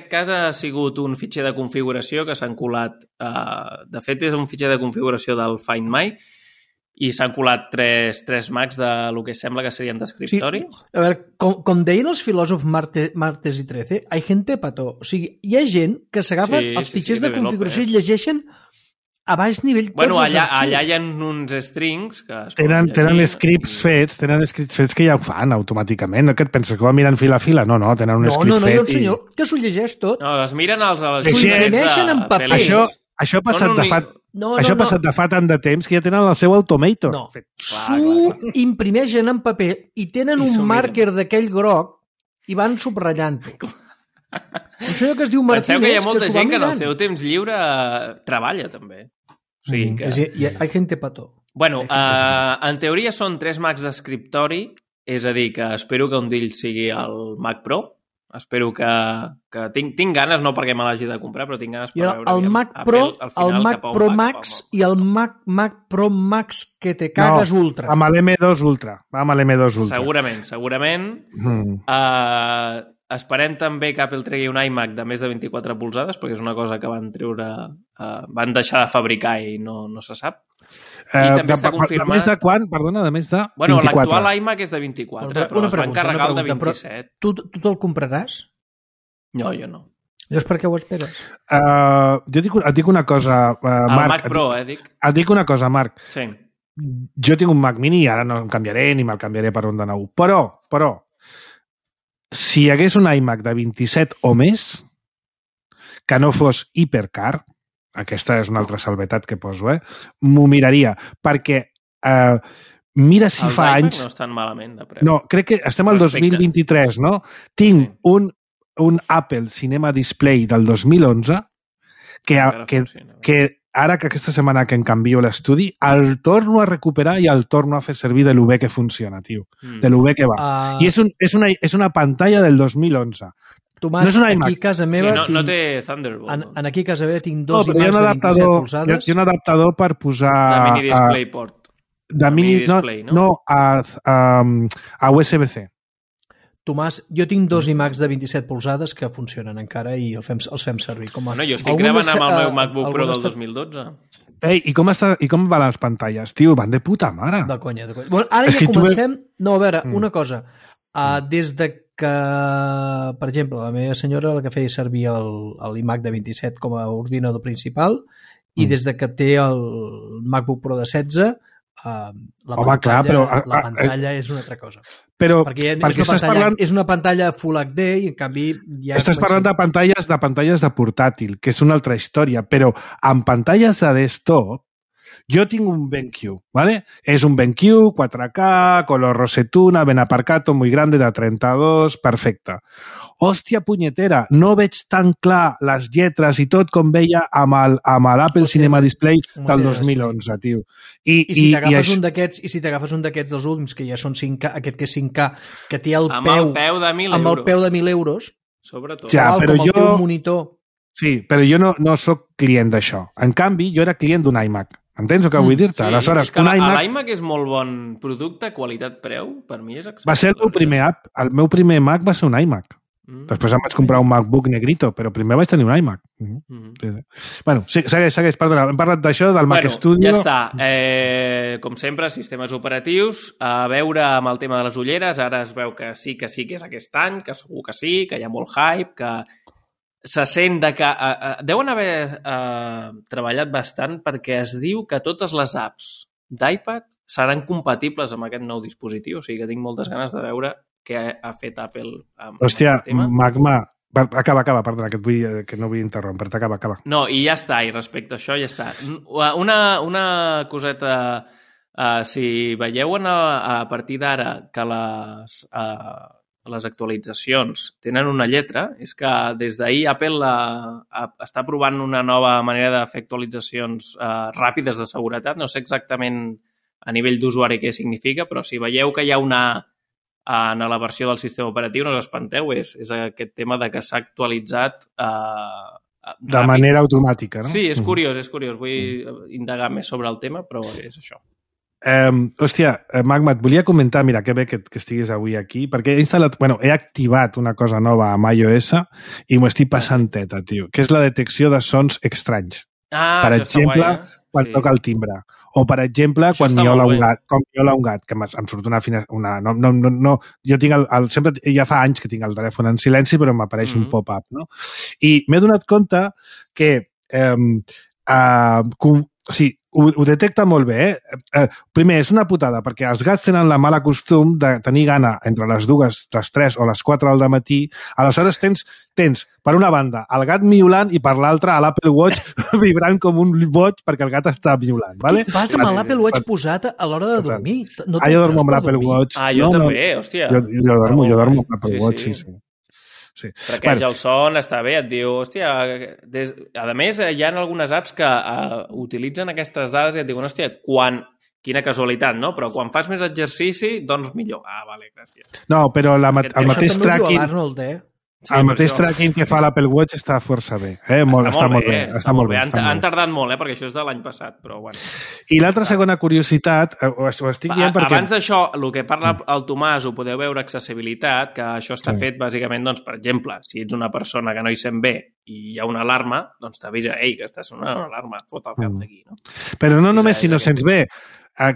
cas ha sigut un fitxer de configuració que s'han colat... De fet, és un fitxer de configuració del Find My i s'han colat 3 Macs del que sembla que serien d'escriptori. Sí. A veure, com deien els filòsofs Martes i Trece, hay gente pató. O sigui, hi ha gent que s'agafa els fitxers de configuració i llegeixen a baix nivell. Allà hi ha uns strings que tenen scripts fets que ja ho fan automàticament. No, que et penses que ho miren fila a fila? No, tenen un script fet. No, hi ha un senyor que s'ho llegeix tot. No, es miren els imprimeixen en paper. Això ha passat de fa tant de temps que ja tenen el seu automator. No, s'ho imprimeixen en paper i tenen un màrquer d'aquell groc i van subratllant-ho. Un senyor que es diu Martínez... Penseu que hi ha molta gent que en el seu temps lliure treballa, també. O sigui que... Hay gente pató. Bueno, en teoria són 3 Macs d'escriptori, és a dir, que espero que un d'ells sigui el Mac Pro. Espero que tinc ganes, no perquè me l'hagi de comprar, però tinc ganes per veure el Mac Pro, el Mac Pro Max i el Mac Pro Max que te cagues ultra. Amb l'M2 Ultra. Segurament. esperem també que Apple tregui un iMac de més de 24 polzades, perquè és una cosa que van treure... van deixar de fabricar i no se sap. I també està confirmat... De més de quan? Perdona, de més de 24. Bueno, l'actual iMac és de 24, però es van carregar el de 27. Tu te'l compraràs? No, jo no. Llavors per què ho esperes? Jo et dic una cosa, el Marc. Mac Pro, dic. Et dic una cosa, Marc. Sí. Jo tinc un Mac Mini i ara no em canviaré ni me'l canviaré per un de nou. Però, si hi hagués un iMac de 27 o més, que no fos hipercar, aquesta és una altra salvetat que poso, m'ho miraria, perquè mira si fa anys... Els iMac no estan malament de preu. No, crec que estem al 2023, no? Tinc un Apple Cinema Display del 2011 que ara que aquesta setmana que em canvio l'estudi, el torno a recuperar i el torno a fer servir de lo bé que funciona, tio. De lo bé que va. I és una pantalla del 2011. Tomàs, no aquí a casa meva... Sí, no té Thunderbolt. En aquí a casa meva tinc dos iMacs de 27 polzades. Hi ha un adaptador per posar... De mini DisplayPort. De mini display, no? No, a USB-C. Tomàs, jo tinc dos iMacs de 27 polzades que funcionen encara i els fem servir. Bueno, jo estic gravant amb el meu MacBook Pro del 2012. Ei, i com van les pantalles? Tio, van de puta mare. De conya. Bueno, ara ja comencem... No, a veure, una cosa. Des de que, per exemple, la meva senyora la que feia servir l'iMac de 27 com a ordinador principal i des de que té el MacBook Pro de 16 la pantalla és una altra cosa. Però perquè és una pantalla Full HD i en canvi ja... Estàs parlant de pantalles de portàtil, que és una altra història, però en pantalles de desktop jo tinc un BenQ, ¿vale? És un BenQ 4K, color rosetuna, ben aparcato, muy grande, de 32, perfecte. Hòstia punyetera, no veig tan clar les lletres i tot com veia amb l'Apple Cinema Display del 2011, tio. I si t'agafes un d'aquests dels últims, que ja són 5K, aquest que és 5K, que té el peu... Amb el peu de 1.000 euros. Amb el peu de 1.000 euros. Sobretot. Ja, però com el teu monitor. Sí, però jo no sóc client d'això. En canvi, jo era client d'un iMac. Entens el que vull dir-te? Sí, aleshores, és que l'iMac és molt bon producte, qualitat-preu, per mi és excepcional. Va ser el meu primer Mac va ser un iMac. Després em vaig comprar un MacBook negrito, però primer vaig tenir un iMac. Sí. Bueno, segueix, perdona, hem parlat d'això, del Mac Studio... Ja està. Com sempre, sistemes operatius, a veure amb el tema de les ulleres, ara es veu que sí que és aquest any, que segur que sí, que hi ha molt hype, que se sent que... deuen haver treballat bastant perquè es diu que totes les apps d'iPad seran compatibles amb aquest nou dispositiu, o sigui que tinc moltes ganes de veure què ha fet Apple amb el tema. Magma... Acaba, perdona, que no vull interrompre, acaba. No, i ja està, i respecte a això ja està. Una coseta, si veieu a partir d'ara que les actualitzacions tenen una lletra, és que des d'ahir Apple està provant una nova manera de fer actualitzacions ràpides de seguretat. No sé exactament a nivell d'usuari què significa, però si veieu que hi ha una en la versió del sistema operatiu, no us espanteu, és aquest tema de que s'ha actualitzat de manera automàtica, no? Sí, és curiós. Vull indagar més sobre el tema, però és això. Hòstia, Magma, et volia comentar, mira, que bé que estiguis avui aquí, perquè he activat una cosa nova amb iOS i m'ho estic passant teta, tio, que és la detecció de sons estranys. Per exemple, quan toca el timbre. O, per exemple, quan miola un gat, que em surt una jo tinc sempre, ja fa anys que tinc el telèfon en silenci, però m'apareix un pop-up, no? I m'he donat compte que o sigui, ho detecta molt bé. Primer, és una putada, perquè els gats tenen la mala costum de tenir gana entre les 2, les 3 o les 4 del matí. Aleshores tens, per una banda, el gat miolant i per l'altra l'Apple Watch vibrant com un boig perquè el gat està miolant. Vale? Vas amb l'Apple Watch posat a l'hora de dormir? Jo dormo amb l'Apple Watch. Jo també, hòstia. Jo dormo amb l'Apple Watch, sí. Sí. Traqueja el son, està bé, et diu, hòstia... A més, hi ha algunes apps que utilitzen aquestes dades i et diuen, hòstia, quina casualitat, no? Però quan fas més exercici, doncs millor. Vale, gràcies. No, però el mateix tracking... Arnold, El mateix tracking que fa l'Apple Watch està força bé. Està molt bé. Han tardat molt, perquè això és de l'any passat, però bueno. I l'altra segona curiositat, ho estic dient perquè... Abans d'això, el que parla el Tomàs, ho podeu veure, accessibilitat, que això està fet bàsicament, doncs, per exemple, si ets una persona que no hi sent bé i hi ha una alarma, doncs t'avisa, ei, que està sonant una alarma, et fot el cap d'aquí, no? Però no només si no sents bé.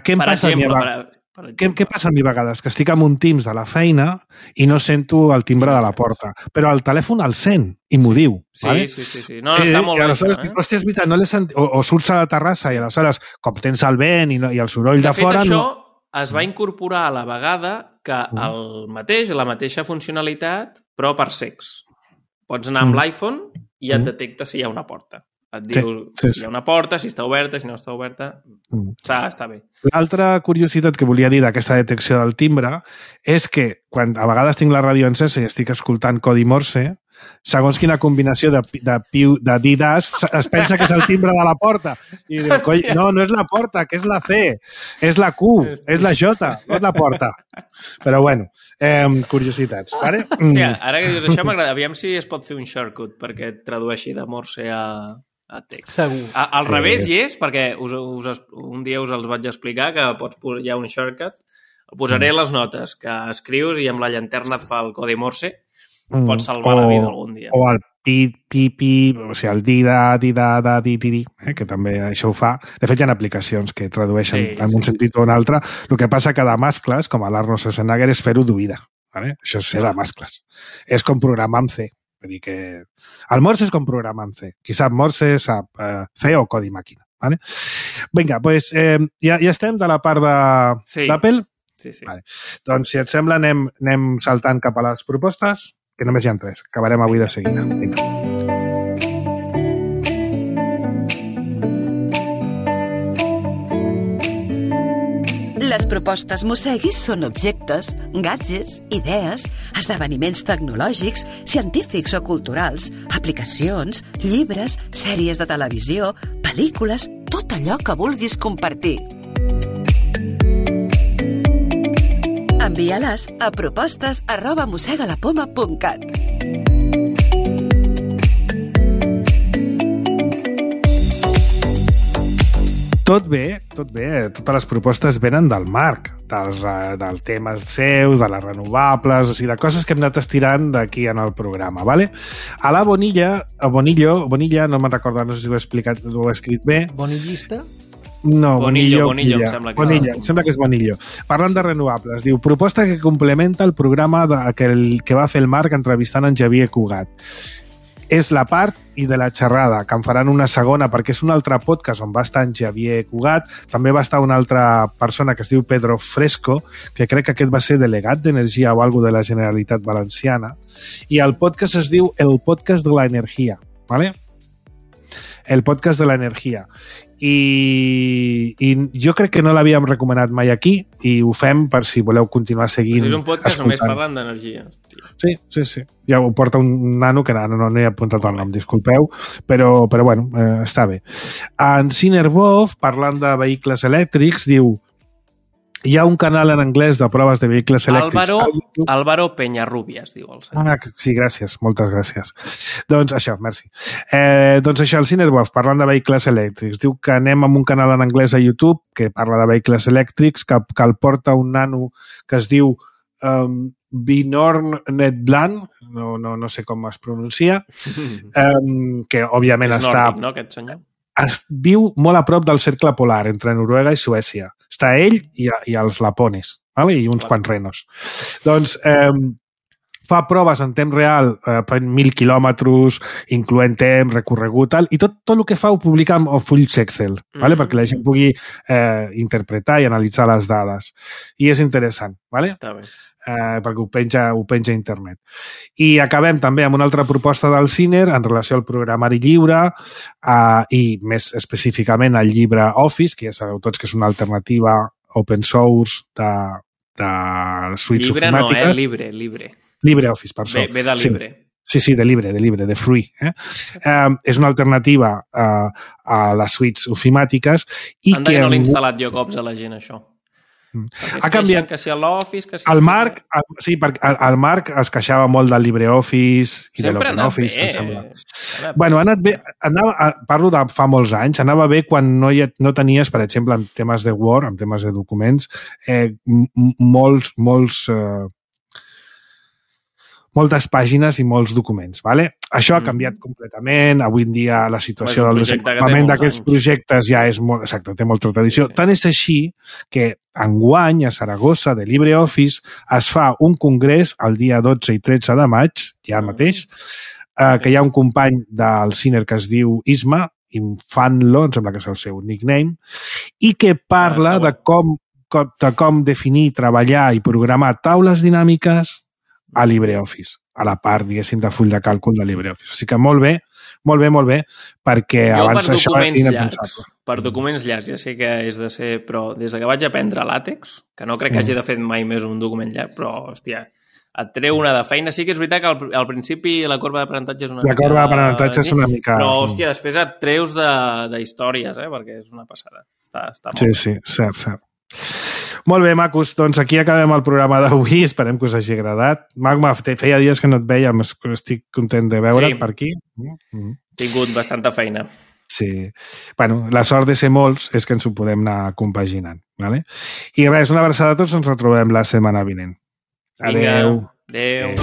Què em passa a mi? Què passa a mi a vegades? Que estic amb un Teams de la feina i no sento el timbre de la porta, però el telèfon el sent i m'ho diu. Sí. No, està molt bé això, Hòstia, és veritat, no l'he sentit. O surts a la terrassa i aleshores, com tens el vent i el soroll de fora... De fet, això es va incorporar a la vegada que la mateixa funcionalitat, però per cecs. Pots anar amb l'iPhone i et detecta si hi ha una porta. Et diu si hi ha una porta, si està oberta, si no està oberta... Està bé. L'altra curiositat que volia dir d'aquesta detecció del timbre és que quan a vegades tinc la ràdio encesa i estic escoltant codi Morse, segons quina combinació de didas es pensa que és el timbre de la porta. I diu, no és la porta, que és la C, és la Q, és la J, no és la porta. Però bueno, curiositats. Vale? Hòstia, ara que dius això m'agrada. Aviam si es pot fer un shortcut perquè et tradueixi de Morse a text. Segur. Al revés hi és, perquè un dia us els vaig explicar que hi ha un shortcut. El posaré a les notes, que escrius i amb la llanterna et fa el codi Morse. Pots salvar la vida algun dia. O el pi, o sigui, el di, que també això ho fa. De fet, hi ha aplicacions que tradueixen en un sentit o un altre. El que passa que de mascles, com a l'Arnold Schwarzenegger, és fer-ho d'oïda. Vale? Això és ser de mascles. És com programar amb C. Vull dir que el Morse és com programar en C. Qui sap Morse sap C o codi màquina. Vale? Vinga, doncs ja estem de la part d'Apple? Sí. Vale. Doncs, si et sembla, anem saltant cap a les propostes, que només hi ha 3. Acabarem avui de seguida. Vinga. Les propostes Mosseguis són objectes, gadgets, idees, esdeveniments tecnològics, científics o culturals, aplicacions, llibres, sèries de televisió, pel·lícules, tot allò que vulguis compartir. Envia-les a propostes@mossegalapoma.cat. Tot bé. Totes les propostes venen del Marc, dels temes seus, de les renovables, o sigui, de coses que hem anat estirant d'aquí en el programa, ¿vale? A la Bonilla, no me'n recordo, no sé si ho he explicat, ho he escrit bé. Bonillista? No, Bonillo, em sembla que Bonilla, em sembla que és Bonillo. Parlant de renovables, diu, proposta que complementa el programa que va fer el Marc entrevistant en Xavier Cugat. És la part i de la xerrada, que en faran una segona, perquè és un altre podcast on va estar en Xavier Cugat, també va estar una altra persona que es diu Pedro Fresco, que crec que aquest va ser delegat d'Energia o alguna de la Generalitat Valenciana, i el podcast es diu El Podcast de la Energia, ¿vale? El Podcast de la Energia. I jo crec que no l'havíem recomanat mai aquí i ho fem per si voleu continuar seguint. És un podcast només parlant d'energia. Sí. Ja ho porta un nano que no he apuntat el nom, disculpeu, però bueno, està bé. En Cinerbov, parlant de vehicles elèctrics, diu: hi ha un canal en anglès de proves de vehicles elèctrics. Álvaro Peñarrubias, diu el senyor. Sí, gràcies, moltes gràcies. Doncs això, merci. Doncs això, el Cinerbov, parlant de vehicles elèctrics, diu que anem amb un canal en anglès a YouTube que parla de vehicles elèctrics, que el porta un nano que es diu Bjorn Nedland, no sé com es pronuncia, que òbviament és nòrdic, no, aquest senyor? Viu molt a prop del cercle polar, entre Noruega i Suècia. Està ell i els lapones, ¿vale? I uns quants renos. Doncs fa proves en temps real, 1.000 quilòmetres, incloent temps, recorregut, tal, i tot el que fa ho publica amb fulls Excel, ¿vale? Perquè la gent pugui interpretar i analitzar les dades. I és interessant, ¿vale? Està bé. Perquè ho penja a internet. I acabem també amb una altra proposta del Ciner en relació al programari lliure i més específicament al llibre Office, que ja sabeu tots que és una alternativa open source de suites ofimàtiques. Llibre no, libre. Libre Office, per això. Ve de libre. Sí, de libre, de free. És una alternativa a les suites ofimàtiques. Anda que no l'he instal·lat jo cops a la gent, això. Ha canviat. Que si a l'Office, que si... El Marc, sí, perquè el Marc es queixava molt del LibreOffice i de l'OpenOffice. Bueno, ha anat bé. Parlo de fa molts anys. Anava bé quan no tenies, per exemple, en temes de Word, en temes de documents, moltes pàgines i molts documents. Vale? Això ha canviat completament. Avui en dia la situació del desenvolupament d'aquests projectes ja és molt... Exacte, té molta tradició. Tant és així que enguany a Saragossa de LibreOffice es fa un congrés el dia 12 i 13 de maig, ja mateix, que hi ha un company del Ciner que es diu Isma, Infanlo, em sembla que és el seu nickname, i que parla de com definir, treballar i programar taules dinàmiques a LibreOffice, a la part, diguéssim, de full de càlcul de LibreOffice. O sigui que molt bé, perquè abans això era impensable. Per documents llargs, ja sé que és de ser... Però des que vaig aprendre LaTeX, que no crec que hagi de fer mai més un document llarg, però, hòstia, et treu una de feina. Sí que és veritat que al principi la corba d'aprenentatge és una mica... La corba d'aprenentatge és una mica... Però, hòstia, després et treus d'històries, perquè és una passada. Està molt bé. Sí, cert. Molt bé, macos, doncs aquí acabem el programa d'avui, esperem que us hagi agradat. Magma, feia dies que no et vèiem, estic content de veure't per aquí. He tingut bastanta feina. Sí. Bueno, la sort de ser molts és que ens ho podem anar compaginant. Vale? I res, una abraçada a tots, ens retrobem la setmana vinent. Adéu. Adéu.